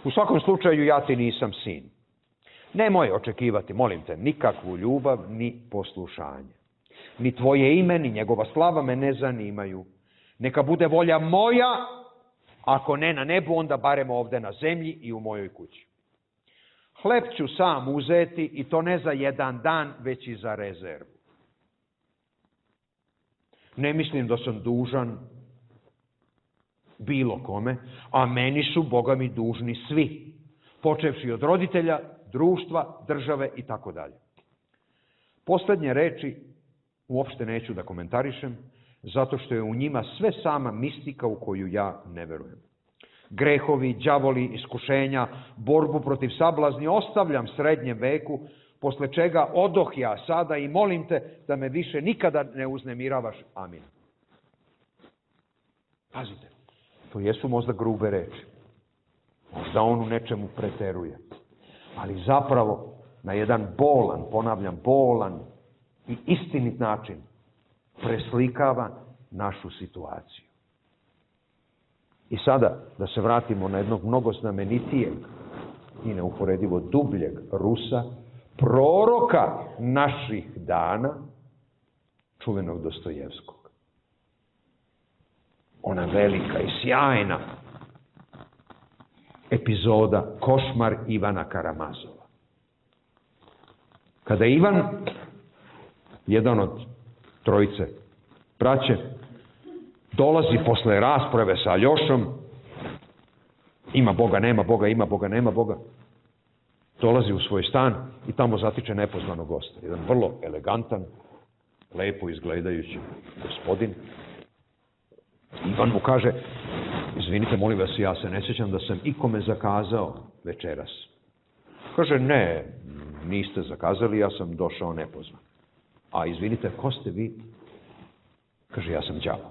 U svakom slučaju, ja ti nisam sin. Nemoj očekivati, molim te, nikakvu ljubav ni poslušanje. Ni tvoje ime, ni njegova slava me ne zanimaju. Neka bude volja moja, ako ne na nebu, onda barem ovde na zemlji i u mojoj kući. Hleb ću sam uzeti, i to ne za jedan dan, već i za rezervu. Ne mislim da sam dužan bilo kome, a meni su, Boga mi, dužni svi, počevši od roditelja, društva, države i tako dalje. Poslednje reči uopšte neću da komentarišem, zato što je u njima sve sama mistika u koju ja ne verujem. Grehovi, đavoli, iskušenja, borbu protiv sablazni ostavljam srednjem veku, posle čega odoh ja sada i molim te da me više nikada ne uznemiravaš. Amin. Pazite, to jesu možda grube reči. Možda on u nečemu preteruje. Ali zapravo na jedan bolan, ponavljam, bolan i istinit način preslikava našu situaciju. I sada da se vratimo na jednog mnogo znamenitijeg i neuporedivo dubljeg Rusa, proroka naših dana, čuvenog Dostojevskog. Ona velika i sjajna epizoda Košmar Ivana Karamazova. Kada Ivan, jedan od trojice braće, dolazi posle rasprave sa Aljošom, ima Boga, nema Boga, ima Boga, nema Boga, dolazi u svoj stan i tamo zatiče nepoznanog gosta. Jedan vrlo elegantan, lepo izgledajući gospodin. Ivan mu kaže: izvinite, molim vas, ja se ne sjećam da sam ikome zakazao večeras. Kaže: ne, niste zakazali, ja sam došao nepozvan. A izvinite, ko ste vi? Kaže: ja sam đavo.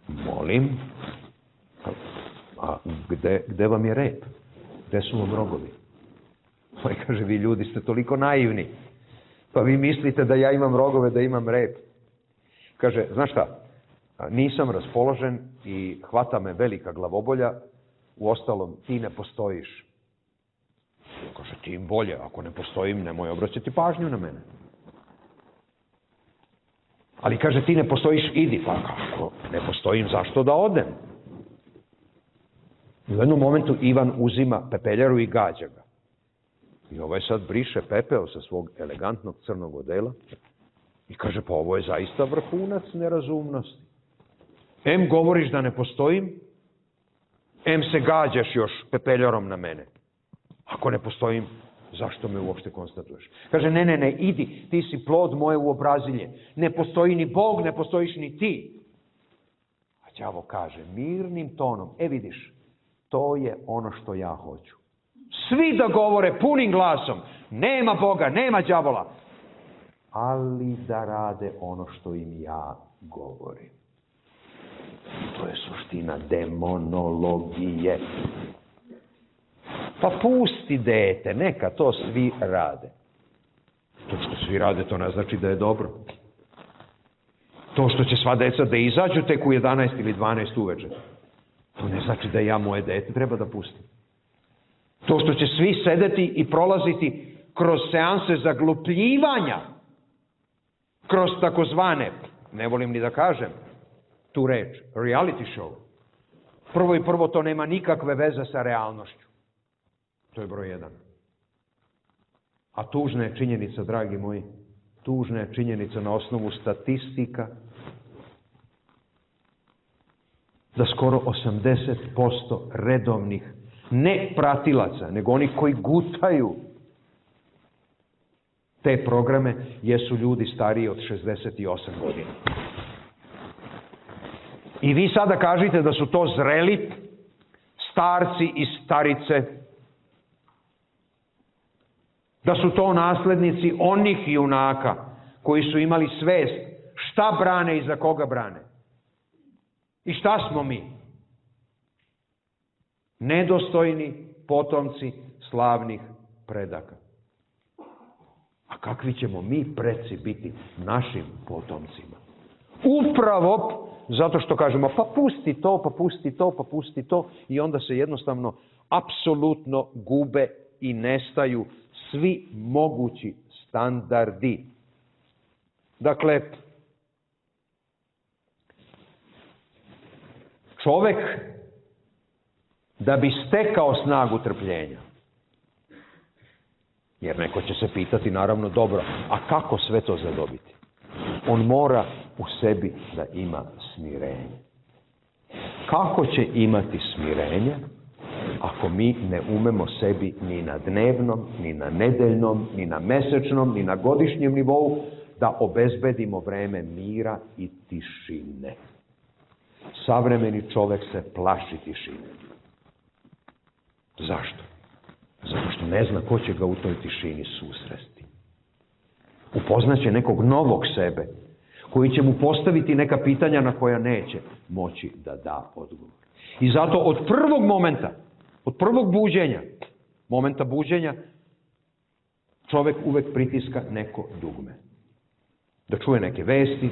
Molim, a gde vam je rep? Gde su vam rogovi? Pa kaže: vi ljudi ste toliko naivni. Pa vi mislite da ja imam rogove, da imam rep. Kaže: znaš šta, nisam raspoložen i hvata me velika glavobolja, uostalom ti ne postojiš. Kaže: tim bolje, ako ne postojim, nemoj obraćati pažnju na mene. Ali kaže, ti ne postojiš, idi. Pa kako ne postojim, zašto da odem? U jednom momentu Ivan uzima pepeljaru i gađa ga. I ovaj sad briše pepeo sa svog elegantnog crnog odela i kaže, pa ovo je zaista vrhunac nerazumnosti. Em govoriš da ne postojim, em se gađaš još pepeljarom na mene. Ako ne postojim, zašto me uopšte konstatuješ? Kaže, ne, idi, ti si plod moje uobrazilje. Ne postoji ni Bog, ne postojiš ni ti. A đavo kaže mirnim tonom, vidiš, to je ono što ja hoću. Svi da govore punim glasom, nema Boga, nema đavola, ali da rade ono što im ja govorim. To je suština demonologije. Pa pusti dete, neka to svi rade. To što svi rade, to ne znači da je dobro. To što će sva deca da izađu tek u 11 ili 12 uveče, to ne znači da ja moje dete treba da pustim. To što će svi sedeti i prolaziti kroz seanse zaglupljivanja, kroz takozvane, ne volim ni da kažem tu reč, reality show. Prvo to nema nikakve veze sa realnošću. To je broj 1. A tužna je činjenica, dragi moji, tužna je činjenica na osnovu statistika, da skoro 80% redovnih, ne pratilaca, nego oni koji gutaju te programe, jesu ljudi stariji od 68 godina. I vi sada kažete da su to zreli starci i starice, da su to naslednici onih junaka koji su imali svest šta brane i za koga brane. I šta smo mi? Nedostojni potomci slavnih predaka. A kakvi ćemo mi preci biti našim potomcima? Upravo zato što kažemo, pa pusti to, pa pusti to, pa pusti to, i onda se jednostavno apsolutno gube i nestaju svi mogući standardi. Dakle, čovek da bi stekao snagu trpljenja, jer neko će se pitati, naravno, dobro, a kako sve to zadobiti? On mora u sebi da ima smirenje. Kako će imati smirenje ako mi ne umemo sebi ni na dnevnom, ni na nedeljnom, ni na mesečnom, ni na godišnjem nivou da obezbedimo vreme mira i tišine? Savremeni čovek se plaši tišine. Zašto? Zato što ne zna ko će ga u toj tišini susresti. Upoznaće nekog novog sebe, koji će mu postaviti neka pitanja na koja neće moći da da odgovor. I zato od prvog momenta, od prvog buđenja, momenta buđenja, čovek uvek pritiska neko dugme. Da čuje neke vesti,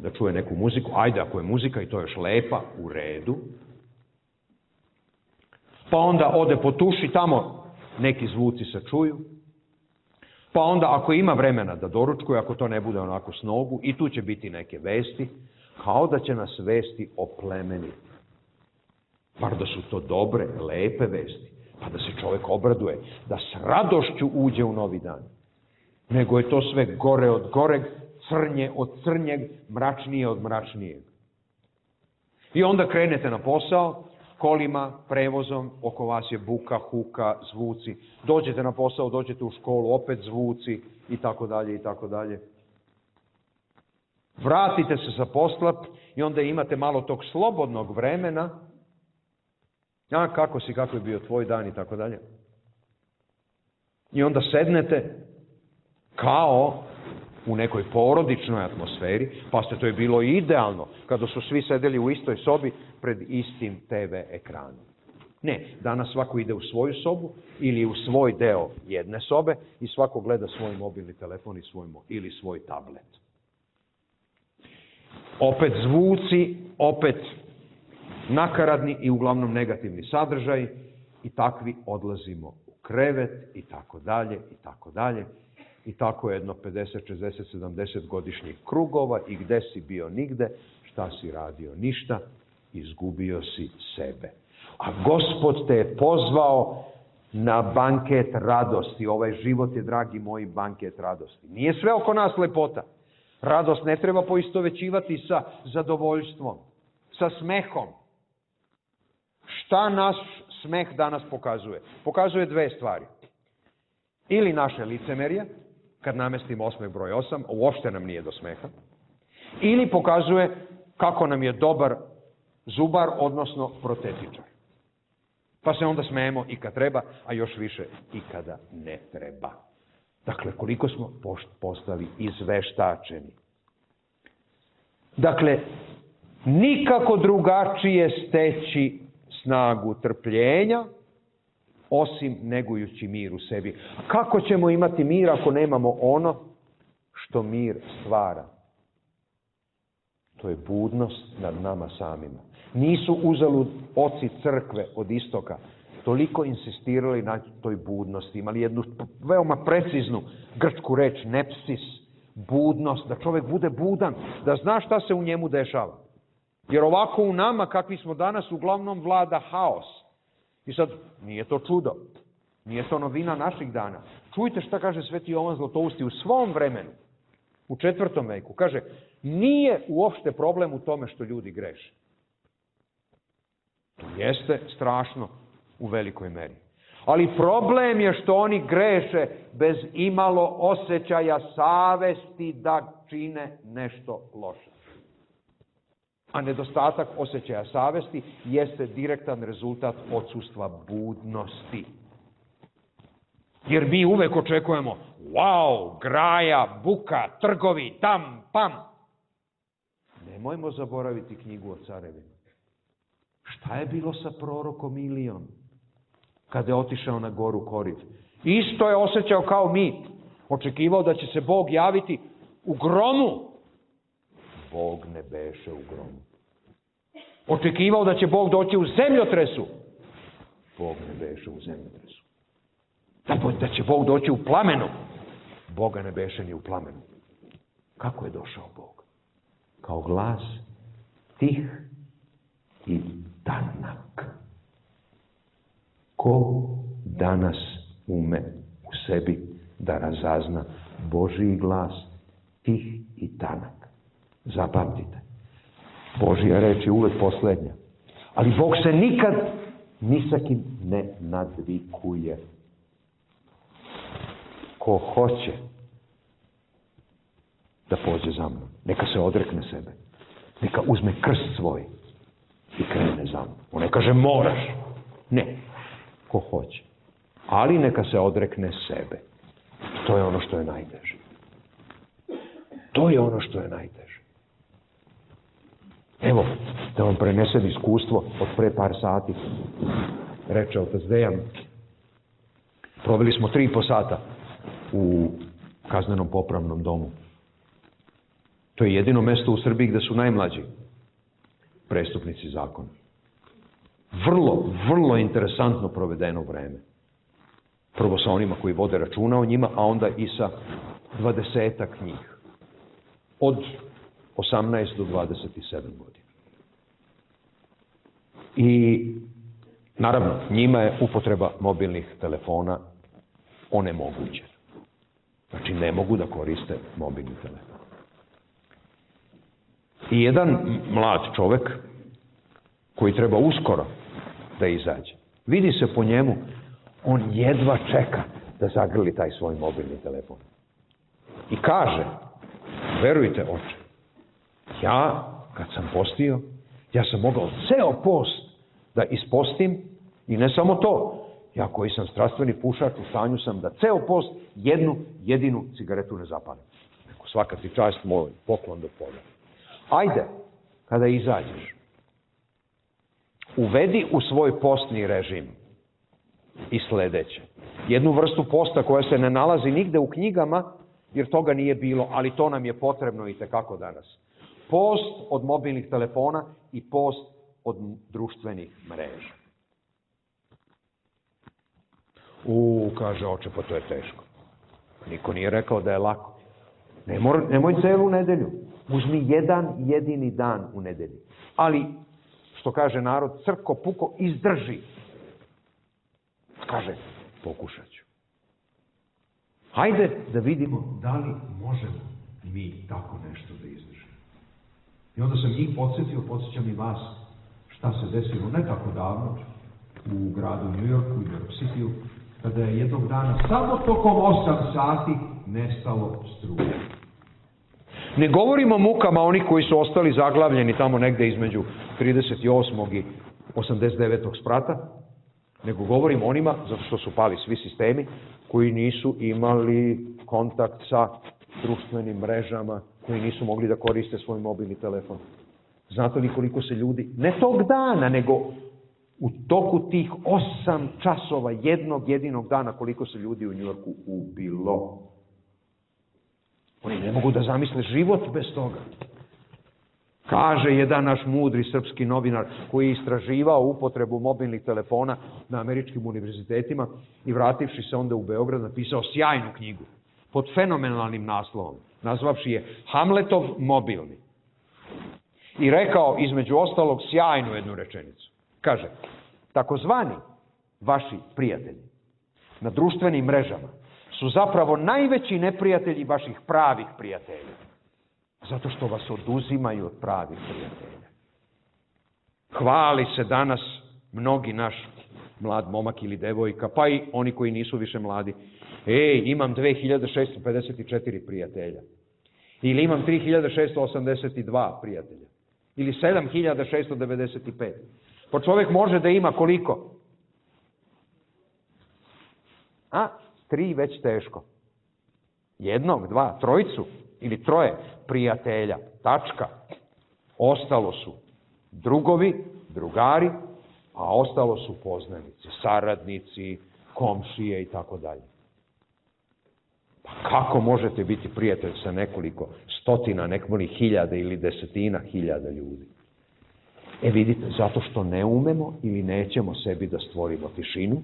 da čuje neku muziku, ajde ako je muzika i to još lepa, u redu. Pa onda ode po tuši, tamo neki zvuci se čuju. Pa onda ako ima vremena da doručkuje, ako to ne bude onako s nogu, i tu će biti neke vesti, kao da će nas vesti oplemeniti. Bar da su to dobre, lepe vesti, pa da se čovjek obraduje, da s radošću uđe u novi dan. Nego je to sve gore od goreg, crnje od crnjeg, mračnije od mračnijeg. I onda krenete na posao, kolima, prevozom, oko vas je buka, huka, zvuci. Dođete na posao, dođete u školu, opet zvuci, i tako dalje, i tako dalje. Vratite se sa posla i onda imate malo tog slobodnog vremena. A kako si, kako je bio tvoj dan, i tako dalje. I onda sednete kao u nekoj porodičnoj atmosferi, pa to je bilo idealno kada su svi sedeli u istoj sobi pred istim TV ekranom. Ne, danas svako ide u svoju sobu ili u svoj deo jedne sobe i svako gleda svoj mobilni telefon i ili svoj tablet. Opet zvuci, opet nakaradni i uglavnom negativni sadržaj, i takvi odlazimo u krevet, i tako dalje, i tako dalje. I tako jedno 50, 60, 70 godišnjih krugova i gde si bio nigde, šta si radio ništa, izgubio si sebe. A Gospod te je pozvao na banket radosti. Ovaj život je, dragi moji, banket radosti. Nije sve oko nas lepota. Radost ne treba poistovećivati sa zadovoljstvom, sa smehom. Šta naš smeh danas pokazuje? Pokazuje dve stvari. Ili naše licemerje, kad namestimo osmeh broj 8, uopšte nam nije do smeha. Ili pokazuje kako nam je dobar zubar, odnosno protetičar. Pa se onda smejemo i kad treba, a još više i kada ne treba. Dakle, koliko smo postali izveštačeni. Dakle, nikako drugačije steći snagu trpljenja, osim negujući mir u sebi. Kako ćemo imati mir ako nemamo ono što mir stvara? To je budnost nad nama samima. Nisu uzalud oci crkve od istoka toliko insistirali na toj budnosti. Imali jednu veoma preciznu grčku reč, nepsis, budnost, da čovjek bude budan, da zna šta se u njemu dešava. Jer ovako u nama, kakvi smo danas, uglavnom vlada haos. I sad, nije to čudo, nije to novina naših dana. Čujte šta kaže Sveti Jovan Zlatousti u svom vremenu, u 4. veku. Kaže, nije uopšte problem u tome što ljudi greše. To jeste strašno u velikoj meri. Ali problem je što oni greše bez imalo osjećaja savesti da čine nešto loše. A nedostatak osjećaja savesti jeste direktan rezultat odsustva budnosti. Jer mi uvek očekujemo, wow, graja, buka, trgovi, tam, pam. Nemojmo zaboraviti knjigu o carevima. Šta je bilo sa prorokom Ilijom kada je otišao na goru Koriv? Isto je osjećao kao mi. Očekivao da će se Bog javiti u gromu. Bog ne beše u gromu. Očekivao da će Bog doći u zemljotresu. Bog ne beše u zemljotresu. Da će Bog doći u plamenu. Boga ne beše ni u plamenu. Kako je došao Bog? Kao glas tih i tanak. Ko danas ume u sebi da razazna Božji glas tih i tanak? Zapamtite. Božja reč je uvek poslednja. Ali Bog se nikad ni sa kim ne nadvikuje. Ko hoće da pođe za mnom, neka se odrekne sebe. Neka uzme krst svoj i krene za mnom. On ne kaže moraš. Ne. Ko hoće. Ali neka se odrekne sebe. To je ono što je najteže. To je ono što je najteže. Evo, da vam prenesem iskustvo od pre par sati. Reče otac Dejan. Proveli smo 3,5 sata u kaznenom popravnom domu. To je jedino mesto u Srbiji gde su najmlađi prestupnici zakona. Vrlo, vrlo interesantno provedeno vreme. Prvo sa onima koji vode računa o njima, a onda i sa 20-ak njih. Od 18 do 27 godina. I naravno, njima je upotreba mobilnih telefona onemogućena. Znači, ne mogu da koriste mobilni telefon. I jedan mlad čovek koji treba uskoro da izađe. Vidi se po njemu, on jedva čeka da zagrli taj svoj mobilni telefon. I kaže, verujte oče, ja kad sam postio, ja sam mogao ceo post da ispostim i ne samo to, ja koji sam strastveni pušač, u stanju sam da ceo post jednu jedinu cigaretu ne zapalim. Neko, svaka ti čast, moj poklon do polja. Ajde, kada izađeš, uvedi u svoj postni režim i sledeće. Jednu vrstu posta koja se ne nalazi nigde u knjigama, jer toga nije bilo, ali to nam je potrebno i tekako danas. Post od mobilnih telefona i post od društvenih mreža. Kaže oče, pa to je teško. Niko nije rekao da je lako. Nemoj celu nedelju. Uzmi jedan jedini dan u nedelji. Ali, što kaže narod, crko puko izdrži. Kaže, pokušat ću. Hajde da vidimo da li možemo mi tako nešto da izdržimo. I onda sam njih podsjećam i vas šta se desilo ne tako davno u gradu New Yorku i New York Cityu, kada je jednog dana samo tokom 8 sati nestalo struje. Ne govorimo o mukama onih koji su ostali zaglavljeni tamo negde između 38. i 89. sprata, nego govorimo onima, zato što su pali svi sistemi, koji nisu imali kontakt sa društvenim mrežama, koji nisu mogli da koriste svoj mobilni telefon. Znate li koliko se ljudi, ne tog dana, nego u toku tih 8 časova jednog jedinog dana, koliko se ljudi u Njujorku ubilo? Oni ne mogu da zamisle život bez toga. Kaže jedan naš mudri srpski novinar koji je istraživao upotrebu mobilnih telefona na američkim univerzitetima i vrativši se onda u Beograd napisao sjajnu knjigu pod fenomenalnim naslovom, nazvavši je Hamletov mobilni. I rekao između ostalog sjajnu jednu rečenicu. Kaže, takozvani vaši prijatelji na društvenim mrežama su zapravo najveći neprijatelji vaših pravih prijatelja. Zato što vas oduzimaju od pravih prijatelja. Hvali se danas mnogi naš mlad momak ili devojka, pa i oni koji nisu više mladi. Imam 2654 prijatelja. Ili imam 3682 prijatelja. Ili 7695. Pa čovjek može da ima koliko? 3 već teško. 1, 2, 3 ili 3 prijatelja. Tačka. Ostalo su drugovi, drugari, a ostalo su poznanici, saradnici, komšije i tako dalje. Pa kako možete biti prijatelj sa nekoliko stotina, nekoliko hiljada ili desetina hiljada ljudi? Vidite, zato što ne umemo ili nećemo sebi da stvorimo tišinu,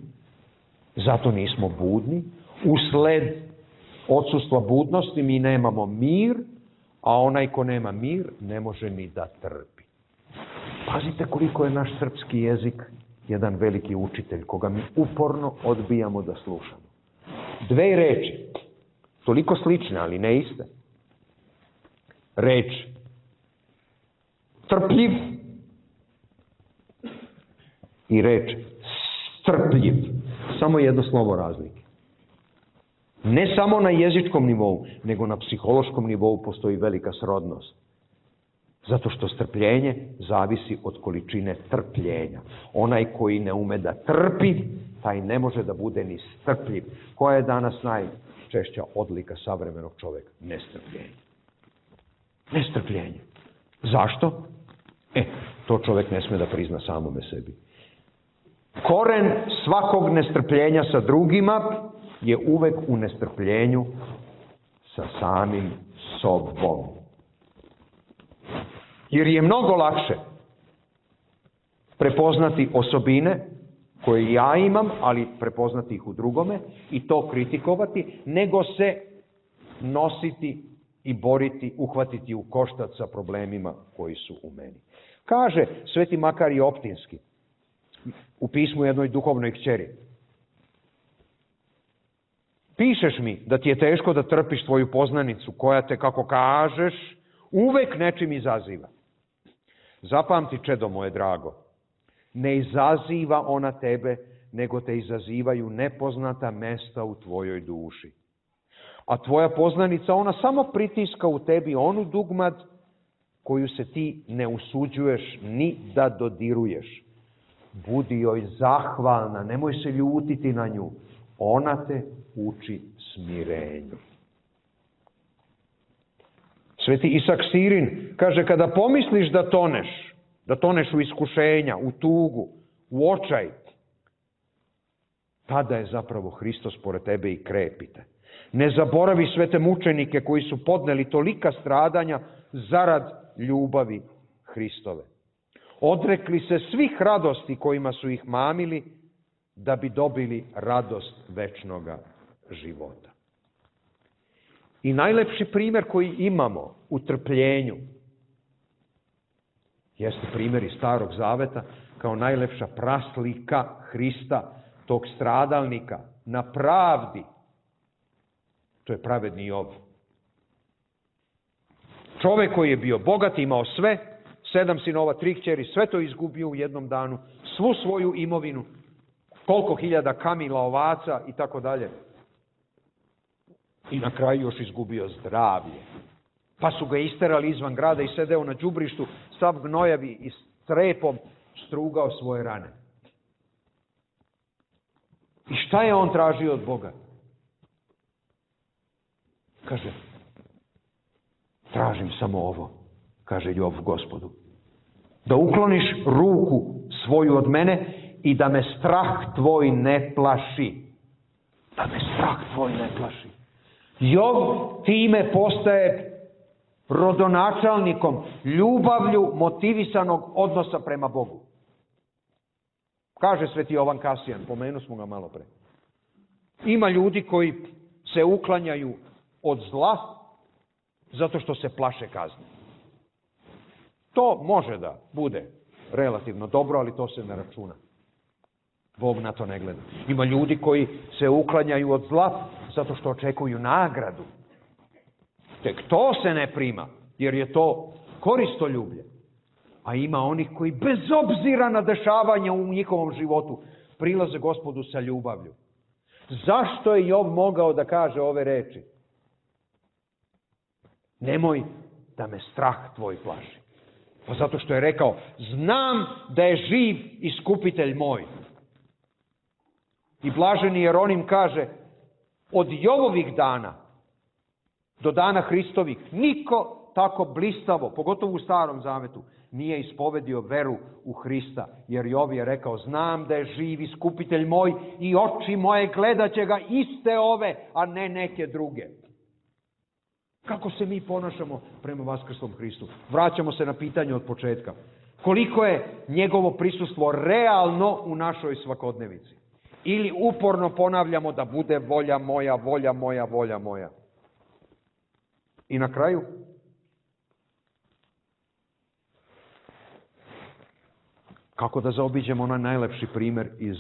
zato nismo budni, usled odsustva budnosti mi nemamo mir, a onaj ko nema mir ne može ni da trpi. Pazite koliko je naš srpski jezik jedan veliki učitelj, koga mi uporno odbijamo da slušamo. 2 reči, toliko slične, ali ne iste. Reč trpljiv i reč strpljiv. Samo jedno slovo razlike. Ne samo na jezičkom nivou, nego na psihološkom nivou postoji velika srodnost. Zato što strpljenje zavisi od količine trpljenja. Onaj koji ne ume da trpi, taj ne može da bude ni strpljiv. Koja je danas najčešća odlika savremenog čoveka? Nestrpljenje. Nestrpljenje. Zašto? To čovek ne sme da prizna samome sebi. Koren svakog nestrpljenja sa drugima je uvek u nestrpljenju sa samim sobom. Jer je mnogo lakše prepoznati osobine koje ja imam, ali prepoznati ih u drugome i to kritikovati, nego se nositi i boriti, uhvatiti u koštac sa problemima koji su u meni. Kaže Sveti Makarije Optinski u pismu jednoj duhovnoj kćeri: pišeš mi da ti je teško da trpiš tvoju poznanicu koja te, kako kažeš, uvek nečim izaziva. Zapamti, čedo moje drago, ne izaziva ona tebe, nego te izazivaju nepoznata mesta u tvojoj duši. A tvoja poznanica, ona samo pritiska u tebi onu dugmad koju se ti ne usuđuješ ni da dodiruješ. Budi joj zahvalna, nemoj se ljutiti na nju. Ona te uči smirenju. Sveti Isak Sirin kaže, kada pomisliš da toneš u iskušenja, u tugu, u očaj, tada je zapravo Hristos pored tebe i krepite. Ne zaboravi sve te mučenike koji su podneli tolika stradanja zarad ljubavi Hristove. Odrekli se svih radosti kojima su ih mamili da bi dobili radost večnoga života. I najlepši primjer koji imamo u trpljenju jeste primjer iz Starog Zaveta kao najlepša praslika Hrista, tog stradalnika na pravdi. To je pravedni Jov. Čovjek koji je bio bogat, imao sve, 7 sinova, 3 kćeri, sve to izgubio u jednom danu, svu svoju imovinu, koliko hiljada kamila, ovaca i tako dalje. I na kraju još izgubio zdravlje. Pa su ga isterali izvan grada i sedeo na đubrištu, sav gnojavi i strepom strugao svoje rane. I šta je on tražio od Boga? Kaže, tražim samo ovo, kaže Jov Gospodu. Da ukloniš ruku svoju od mene i da me strah tvoj ne plaši. Da me strah tvoj ne plaši. Jov time postaje rodonačelnikom ljubavlju motivisanog odnosa prema Bogu. Kaže sveti Jovan Kasijan, pomenu smo ga malo pre. Ima ljudi koji se uklanjaju od zla zato što se plaše kazne. To može da bude relativno dobro, ali to se ne računa. Bog na to ne gleda. Ima ljudi koji se uklanjaju od zla zato što očekuju nagradu. Tek to se ne prima, jer je to koristoljublje. A ima onih koji bez obzira na dešavanja u njihovom životu prilaze Gospodu sa ljubavlju. Zašto je Jov mogao da kaže ove reči? Nemoj da me strah tvoj plaši. Pa zato što je rekao, znam da je živ iskupitelj moj. I blaženi Jeronim kaže, od Jovovih dana do dana Hristovih niko tako blistavo, pogotovo u Starom Zavetu, nije ispovedio veru u Hrista. Jer Jov je rekao, znam da je živ iskupitelj moj i oči moje gledat će ga iste ove, a ne neke druge. Kako se mi ponašamo prema vaskrslom Hristu? Vraćamo se na pitanje od početka. Koliko je njegovo prisustvo realno u našoj svakodnevici? Ili uporno ponavljamo da bude volja moja, volja moja, volja moja. I na kraju, kako da zaobiđemo onaj najlepši primjer iz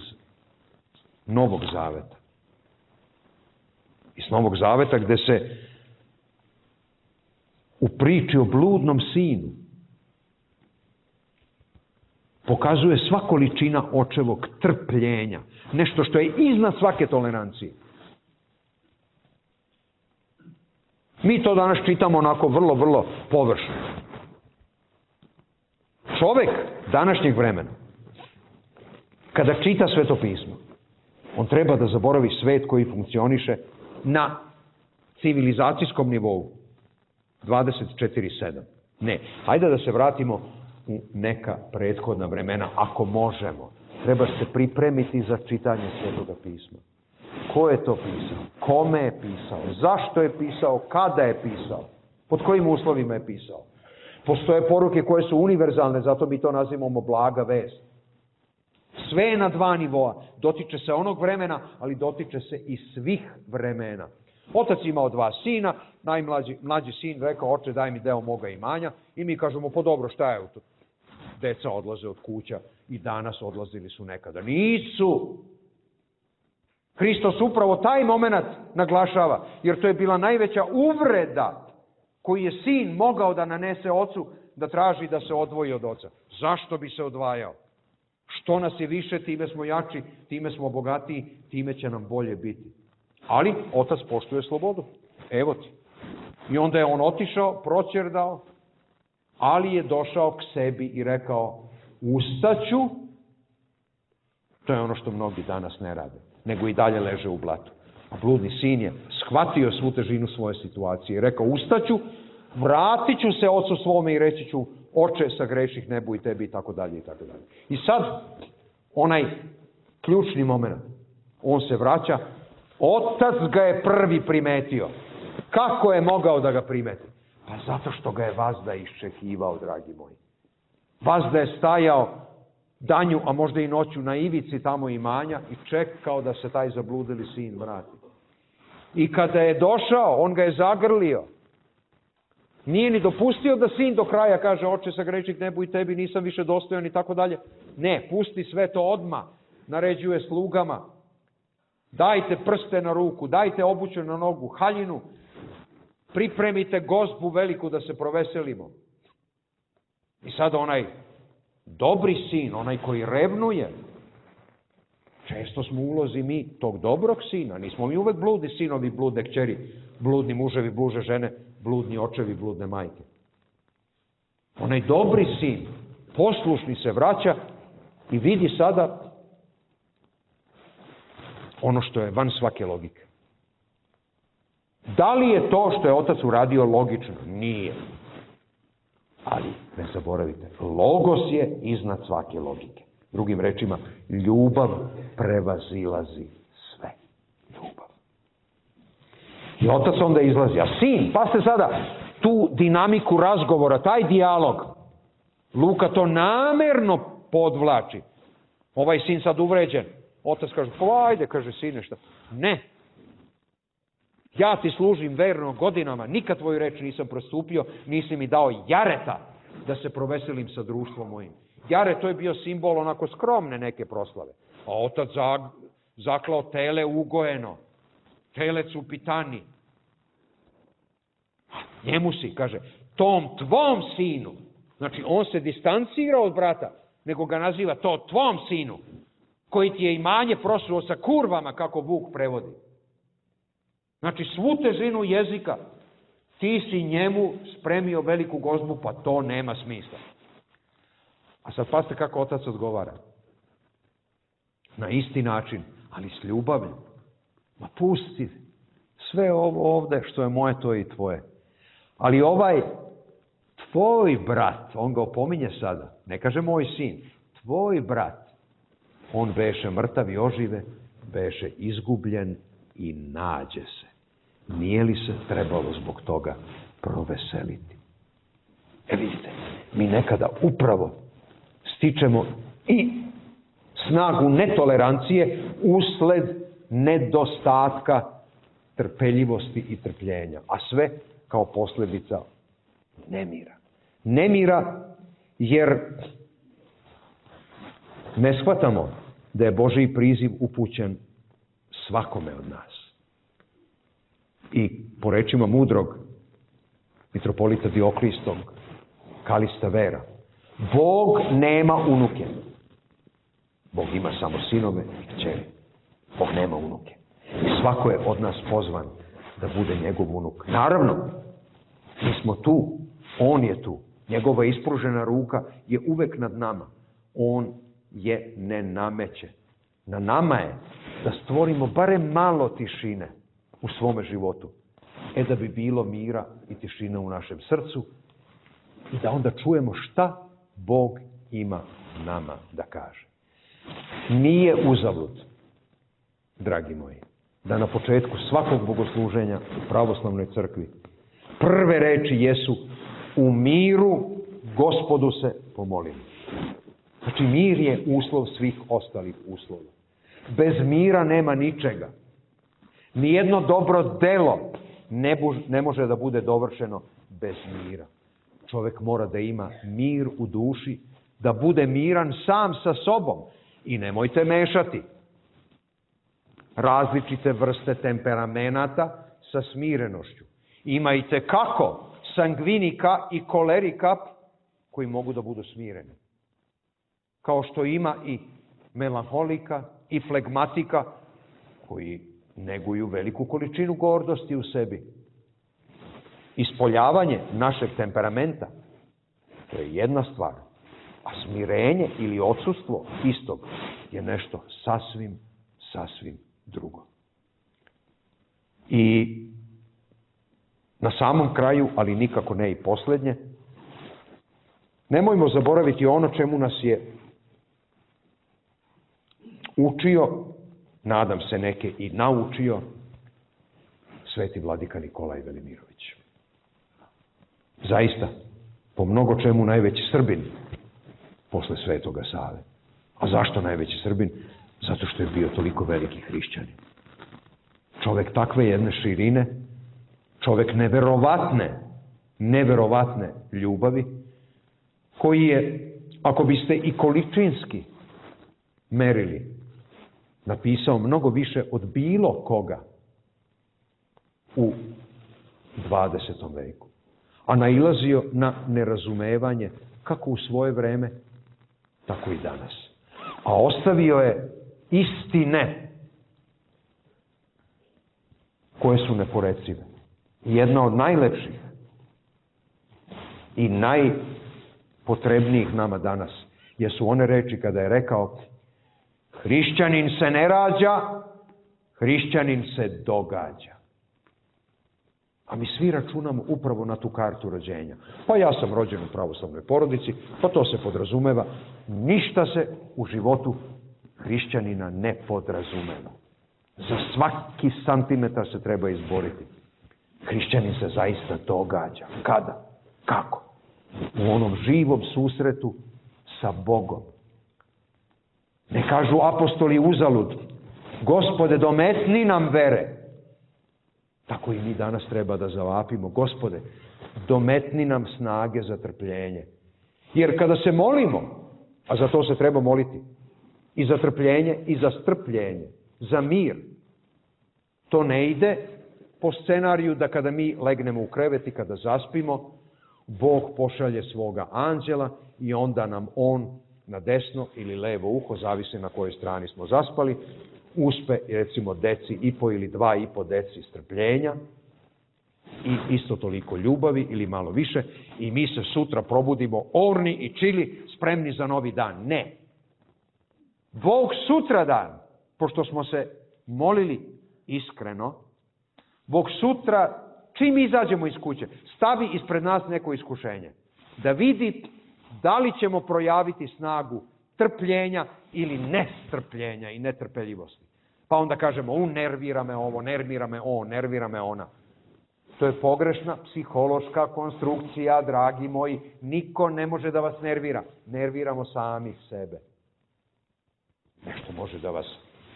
Novog Zaveta. Iz Novog Zaveta gde se u priči o bludnom sinu pokazuje sva količina očevog trpljenja. Nešto što je iznad svake tolerancije. Mi to danas čitamo onako vrlo, vrlo površno. Čovek današnjeg vremena, kada čita Sveto pismo, on treba da zaboravi svet koji funkcioniše na civilizacijskom nivou. 24/7. Ne, hajde da se vratimo u neka prethodna vremena, ako možemo. Treba se pripremiti za čitanje Svetoga pisma. Ko je to pisao? Kome je pisao? Zašto je pisao? Kada je pisao? Pod kojim uslovima je pisao? Postoje poruke koje su univerzalne, zato mi to nazivamo blaga vest. Sve je na dva nivoa. Dotiče se onog vremena, ali dotiče se i svih vremena. Otac imao 2 sina, mlađi sin rekao, oče daj mi deo moga imanja, i mi kažemo, pa dobro, šta je to? Deca odlaze od kuća i danas odlazili su nekada. Nisu! Hristos upravo taj moment naglašava, jer to je bila najveća uvreda koju je sin mogao da nanese ocu, da traži da se odvoji od oca. Zašto bi se odvajao? Što nas je više, time smo jači, time smo bogatiji, time će nam bolje biti. Ali otac poštuje slobodu. Evo ti. I onda je on otišao, proćerdao, ali je došao k sebi i rekao, ustaću. To je ono što mnogi danas ne rade, nego i dalje leže u blatu. A bludni sin je shvatio svu težinu svoje situacije i rekao, ustaću, vratit ću se ocu svome i reći ću, oče, sagreših nebu i tebi, i tako dalje, i tako dalje. I sad, onaj ključni moment, on se vraća, otac ga je prvi primetio. Kako je mogao da ga primeti? Pa zato što ga je vazda iščekivao, dragi moji. Vazda je stajao danju, a možda i noću, na ivici tamo imanja i čekao da se taj zabludili sin vrati. I kada je došao, on ga je zagrlio. Nije ni dopustio da sin do kraja kaže, oče, sagreših nebu i tebi, nisam više dostojan i tako dalje. Ne, pusti sve to odmah. Naređuje slugama. Dajte prste na ruku, dajte obuću na nogu, haljinu. Pripremite gozbu veliku da se proveselimo. I sad onaj dobri sin, onaj koji revnuje, često smo u ulozi mi tog dobrog sina. Nismo mi uvek bludni sinovi, bludne kćeri, bludni muževi, bluže žene, bludni očevi, bludne majke. Onaj dobri sin, poslušni se vraća i vidi sada ono što je van svake logike. Da li je to što je otac uradio logično? Nije. Ali, ne zaboravite, logos je iznad svake logike. Drugim rečima, ljubav prevazilazi sve. Ljubav. I otac onda izlazi. A sin, pa ste sada tu dinamiku razgovora, taj dijalog. Luka to namerno podvlači. Ovaj sin sad uvređen. Otac kaže, pa ajde, kaže, sine, šta? Ne. Ja ti služim verno godinama, nikad tvoju reč nisam prostupio, nisi mi dao jareta da se proveselim sa društvom mojim. Jaret, to je bio simbol onako skromne neke proslave. A otac zaklao tele ugojeno, telec u pitani. Njemu si, kaže, tom tvom sinu. Znači, on se distancira od brata, nego ga naziva to tvom sinu, koji ti je imanje prosuo sa kurvama, kako Vuk prevodi. Znači, svu težinu jezika, ti si njemu spremio veliku gozbu, pa to nema smisla. A sad pazite kako otac odgovara. Na isti način, ali s ljubavlju. Ma pusti, sve ovo ovde što je moje, to je i tvoje. Ali ovaj tvoj brat, on ga opominje sada, ne kaže moj sin, tvoj brat, on beše mrtav i ožive, beše izgubljen i nađe se. Nije li se trebalo zbog toga proveseliti? Vidite, mi nekada upravo stičemo i snagu netolerancije usled nedostatka trpeljivosti i trpljenja, a sve kao posljedica nemira. Nemira jer ne shvatamo da je Božji priziv upućen svakome od nas. I po rečima mudrog mitropolita Dioklistog, Kalista Vera, Bog nema unuke. Bog ima samo sinove i kćeri. Bog nema unuke. I svako je od nas pozvan da bude njegov unuk. Naravno, mi smo tu, on je tu. Njegova ispružena ruka je uvek nad nama. On je ne nameće. Na nama je da stvorimo barem malo tišine u svome životu. Da bi bilo mira i tišine u našem srcu i da onda čujemo šta Bog ima nama da kaže. Nije uzalud, dragi moji, da na početku svakog bogosluženja u pravoslavnoj crkvi prve reči jesu u miru Gospodu se pomolimo. Znači, mir je uslov svih ostalih uslova. Bez mira nema ničega. Nijedno dobro delo ne može da bude dovršeno bez mira. Čovjek mora da ima mir u duši, da bude miran sam sa sobom. I nemojte mešati različite vrste temperamenata sa smirenošću. Imajte kako sangvinika i kolerika koji mogu da budu smireni. Kao što ima i melanholika i flegmatika koji neguju veliku količinu gordosti u sebi. Ispoljavanje našeg temperamenta, to je jedna stvar, a smirenje ili odsustvo istog je nešto sasvim drugo. I na samom kraju, ali nikako ne i posljednje, nemojmo zaboraviti ono čemu nas je učio, nadam se neke i naučio, sveti vladika Nikolaj Velimirović. Zaista, po mnogo čemu najveći Srbin posle Svetoga Save. A zašto najveći Srbin? Zato što je bio toliko veliki hrišćanin. Čovjek takve jedne širine, čovjek neverovatne ljubavi, koji je, ako biste i količinski merili, napisao mnogo više od bilo koga u 20. veku. A nailazio na nerazumevanje kako u svoje vreme, tako i danas. A ostavio je istine koje su neporecive. Jedna od najlepših i najpotrebnijih nama danas jesu one reči kada je rekao: hrišćanin se ne rađa, hrišćanin se događa. A mi svi računamo upravo na tu kartu rođenja. Pa ja sam rođen u pravoslavnoj porodici, pa to se podrazumeva. Ništa se u životu hrišćanina ne podrazumeva. Za svaki santimetar se treba izboriti. Hrišćanin se zaista događa. Kada? Kako? U onom živom susretu sa Bogom. Ne kažu apostoli uzalud: Gospode, dometni nam vere. Tako i mi danas treba da zavapimo: Gospode, dometni nam snage za trpljenje. Jer kada se molimo, a za to se treba moliti, i za trpljenje i za strpljenje, za mir, to ne ide po scenariju da kada mi legnemo u krevet i kada zaspimo, Bog pošalje svoga anđela i onda nam on na desno ili levo uho, zavisi na kojoj strani smo zaspali, uspe, recimo, 1,5 ili 2,5 deci strpljenja i isto toliko ljubavi ili malo više, i mi se sutra probudimo orni i čili, spremni za novi dan. Ne. Bog sutradan, pošto smo se molili iskreno, Bog sutra, čim izađemo iz kuće, stavi ispred nas neko iskušenje. Da vidi da li ćemo projaviti snagu trpljenja ili nestrpljenja i netrpeljivosti. Pa onda kažemo: nervira me ovo, nervira me on, nervira me ona. To je pogrešna psihološka konstrukcija, dragi moji. Niko ne može da vas nervira. Nerviramo sami sebe. Nešto može da vas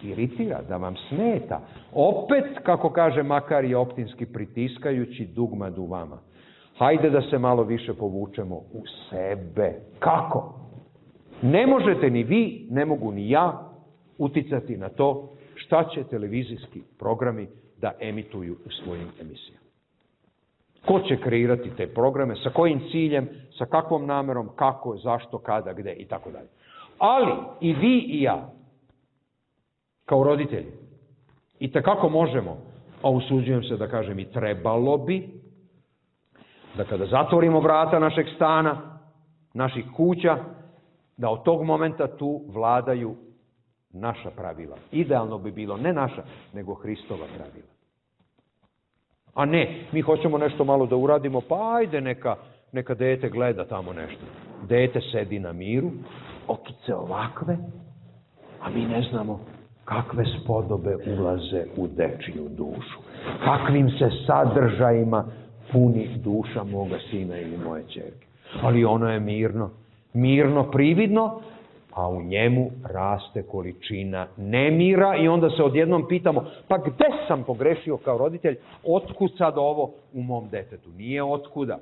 iritira, da vam smeta. Opet, kako kaže Makarije Optinski, pritiskajući dugmad u vama. Hajde da se malo više povučemo u sebe. Kako? Ne možete ni vi, ne mogu ni ja uticati na to šta će televizijski programi da emituju u svojim emisijama. Ko će kreirati te programe, sa kojim ciljem, sa kakvom namerom, kako, zašto, kada, gde i tako dalje. Ali i vi i ja, kao roditelji, i tekako možemo, a usuđujem se da kažem i trebalo bi, da kada zatvorimo vrata našeg stana, naših kuća, da od tog momenta tu vladaju naša pravila. Idealno bi bilo ne naša, nego Hristova pravila. A ne, mi hoćemo nešto malo da uradimo, pa ajde neka dete gleda tamo nešto. Dete sedi na miru, okice ovakve, a mi ne znamo kakve spodobe ulaze u dečiju dušu. Kakvim se sadržajima puni duša moga sina ili moje ćerke. Ali ono je mirno prividno, a u njemu raste količina nemira i onda se odjednom pitamo: pa gde sam pogrešio kao roditelj? Otkud sad ovo u mom detetu? Nije otkuda.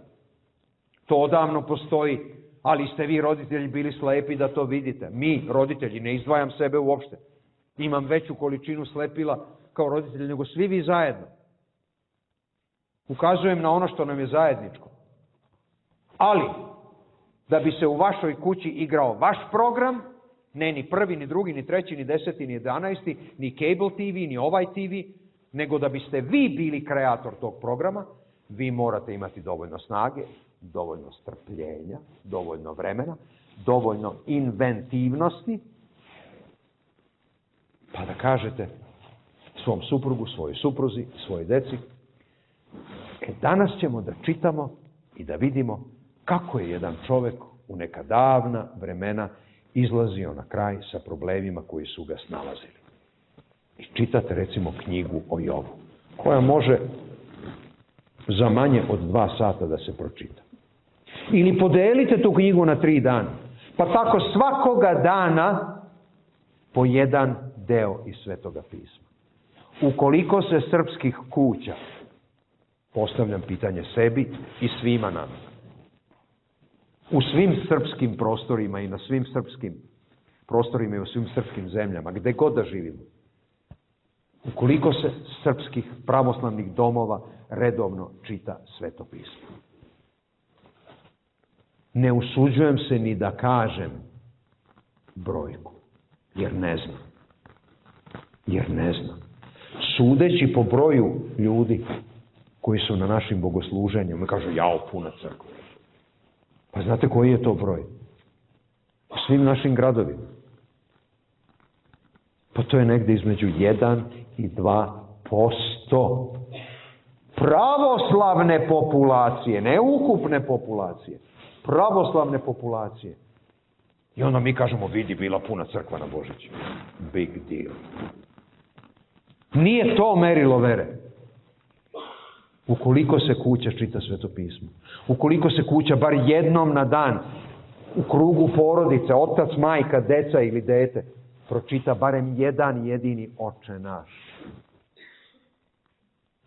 To odavno postoji, ali ste vi roditelji bili slepi da to vidite. Mi, roditelji, ne izdvajam sebe uopšte. Imam veću količinu slepila kao roditelj nego svi vi zajedno. Ukazujem na ono što nam je zajedničko. Ali, da bi se u vašoj kući igrao vaš program, ne ni prvi, ni drugi, ni treći, ni 10, ni 11, ni cable TV, ni ovaj TV, nego da biste vi bili kreator tog programa, vi morate imati dovoljno snage, dovoljno strpljenja, dovoljno vremena, dovoljno inventivnosti, pa da kažete svom suprugu, svojoj supruzi, svojoj deci: danas ćemo da čitamo i da vidimo kako je jedan čovek u neka davna vremena izlazio na kraj sa problemima koji su ga snalazili. I čitate recimo knjigu o Jovu, koja može za manje od 2 sata da se pročita. Ili podelite tu knjigu na 3 dana, pa tako svakoga dana po jedan deo iz Svetoga pisma. ukoliko se srpskih kuća, postavljam pitanje sebi i svima nama, u svim srpskim prostorima i na svim srpskim prostorima i u svim srpskim zemljama, gde god da živimo, ukoliko se srpskih pravoslavnih domova redovno čita Sveto pismo. Ne usuđujem se ni da kažem brojku, jer ne znam. Sudeći po broju ljudi koji su na našim bogosluženjima, kažu, jao, puna crkva. Pa znate koji je to broj? U svim našim gradovima. Pa to je negde između 1 i 2% pravoslavne populacije, ne ukupne populacije, pravoslavne populacije. I onda mi kažemo, vidi, bila puna crkva na Božić. Big deal. Nije to merilo vere. Ukoliko se kuća čita Sveto pismo, ukoliko se kuća bar jednom na dan u krugu porodice, otac, majka, deca ili dete, pročita barem jedan jedini Oče naš.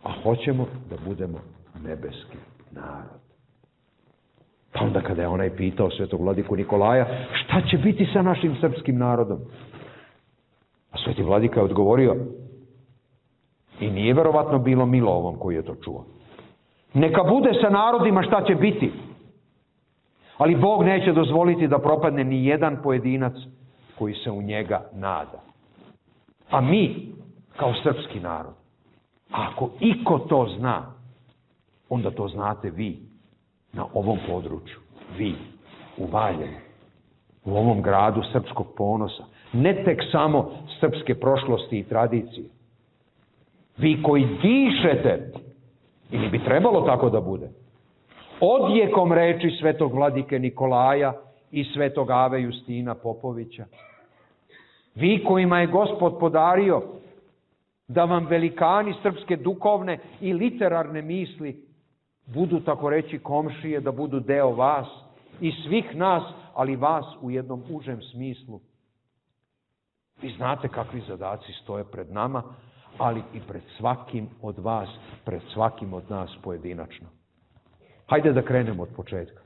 A hoćemo da budemo nebeski narod. Pa onda kada je onaj pitao svetog vladiku Nikolaja, šta će biti sa našim srpskim narodom? A sveti vladika je odgovorio, i nije verovatno bilo milo ovom koji je to čuo. Neka bude sa narodima šta će biti. Ali Bog neće dozvoliti da propadne ni jedan pojedinac koji se u njega nada. A mi, kao srpski narod, ako iko to zna, onda to znate vi na ovom području. Vi, u Valjevu, u ovom gradu srpskog ponosa. Ne tek samo srpske prošlosti i tradicije. Vi koji dišete, ili bi trebalo tako da bude, odjekom reči svetog vladike Nikolaja i svetog Ave Justina Popovića. Vi kojima je Gospod podario da vam velikani srpske duhovne i literarne misli budu, tako reći, komšije, da budu deo vas i svih nas, ali vas u jednom užem smislu. Vi znate kakvi zadaci stoje pred nama, ali i pred svakim od vas, pred svakim od nas pojedinačno. Hajde da krenemo od početka.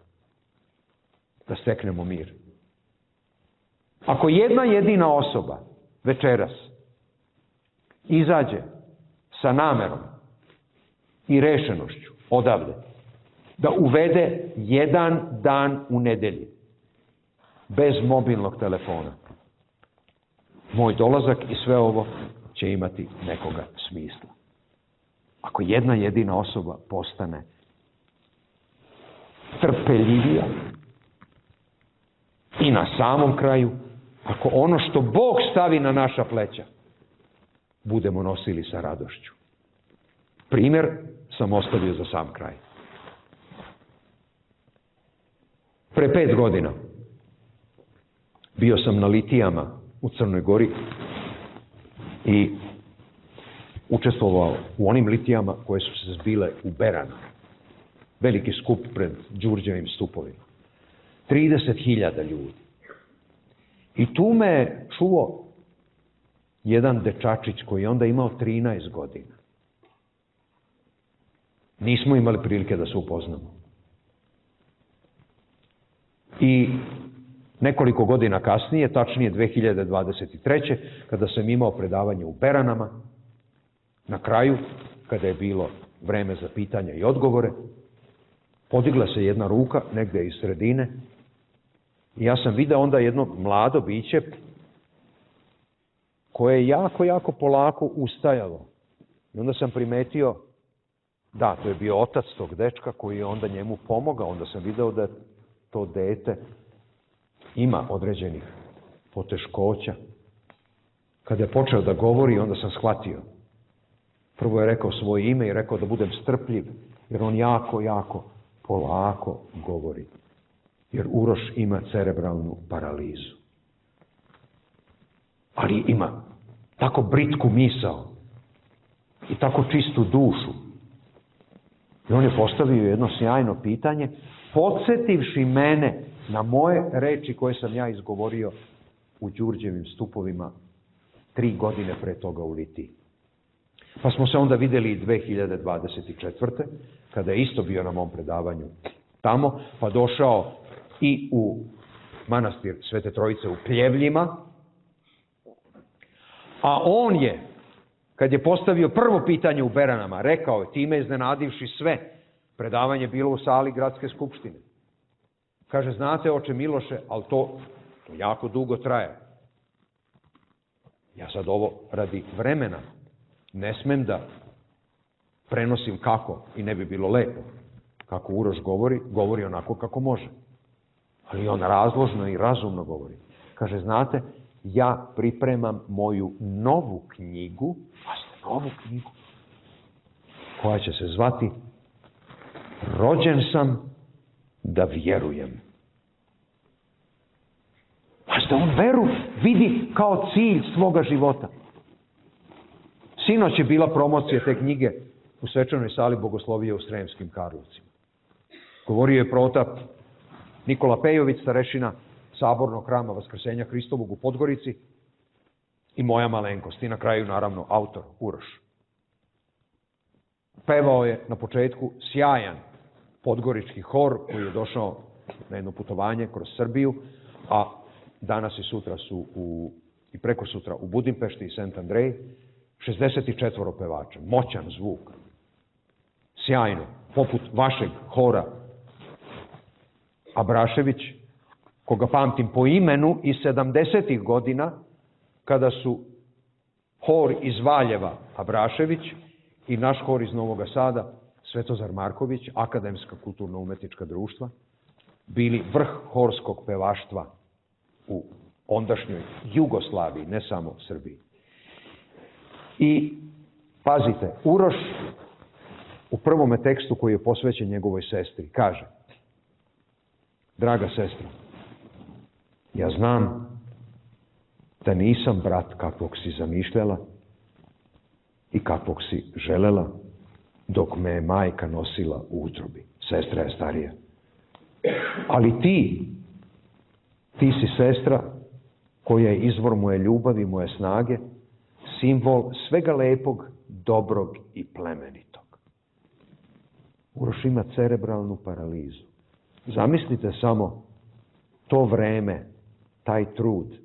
Da steknemo mir. Ako jedna jedina osoba večeras izađe sa namerom i rešenošću odavde da uvede jedan dan u nedelji bez mobilnog telefona, moj dolazak i sve ovo će imati nekoga smisla. Ako jedna jedina osoba postane trpeljivija i na samom kraju, ako ono što Bog stavi na naša pleća budemo nosili sa radošću. Primer sam ostavio za sam kraj. Pre 5 godina bio sam na litijama u Crnoj Gori i učestvovao u onim litijama koje su se zbile u Beranu. Veliki skup pred Đurđevim stupovima. 30.000 ljudi. I tu me čuo jedan dečačić koji je onda imao 13 godina. Nismo imali prilike da se upoznamo. I nekoliko godina kasnije, tačnije 2023. kada sam imao predavanje u Beranama, na kraju, kada je bilo vreme za pitanja i odgovore, podigla se jedna ruka negde iz sredine i ja sam video onda jedno mlado biće koje je jako polako ustajalo. I onda sam primetio, da, to je bio otac tog dečka koji je onda njemu pomogao. Onda sam video da to dete ima određenih poteškoća. Kada je počeo da govori, onda sam shvatio. Prvo je rekao svoje ime i rekao da budem strpljiv, jer on jako polako govori. Jer Uroš ima cerebralnu paralizu. Ali ima tako britku misao i tako čistu dušu. I on je postavio jedno sjajno pitanje, podsjetivši mene na moje reči koje sam ja izgovorio u Đurđevim stupovima 3 godine pre toga u Litiji. Pa smo se onda vidjeli i 2024. kada je isto bio na mom predavanju tamo, pa došao i u manastir Svete Trojice u Pljevljima. A on je, kad je postavio prvo pitanje u Beranama, rekao je, time iznenadivši sve, predavanje bilo u sali gradske skupštine. Kaže, znate, oče Miloše, ali to jako dugo traje. Ja sad ovo radi vremena ne smem da prenosim kako i ne bi bilo lepo. Kako Uroš govori onako kako može. Ali on razložno i razumno govori. Kaže, znate, ja pripremam moju novu knjigu, koja će se zvati Rođen sam da vjerujem. Pazite, on veru vidi kao cilj svoga života. Sinoć je bila promocija te knjige u svečanoj sali Bogoslovije u Sremskim Karlovcima. Govorio je protap Nikola Pejović, starešina Sabornog hrama Vaskrsenja Hristovog u Podgorici i moja malenkost. I na kraju, naravno, autor Uroš. Pevao je na početku sjajan podgorički hor koji je došao na jedno putovanje kroz Srbiju, a danas i sutra su i preko sutra u Budimpešti i St. Andrej, 64 pevača, moćan zvuk, sjajno, poput vašeg hora Abrašević, koga pamtim po imenu iz 70. godina, kada su hor iz Valjeva Abrašević i naš hor iz Novog Sada, Svetozar Marković, Akademska kulturno-umetnička društva, bili vrh horskog pevaštva u ondašnjoj Jugoslaviji, ne samo Srbiji. I, pazite, Uroš u prvome tekstu koji je posvećen njegovoj sestri kaže: draga sestra, ja znam da nisam brat kakvog si zamišljala i kakvog si želela dok me je majka nosila u utrobi. Sestra je starija. Ali ti si sestra koja je izvor moje ljubavi, moje snage, simbol svega lepog, dobrog i plemenitog. Uroš ima cerebralnu paralizu. Zamislite samo to vreme, taj trud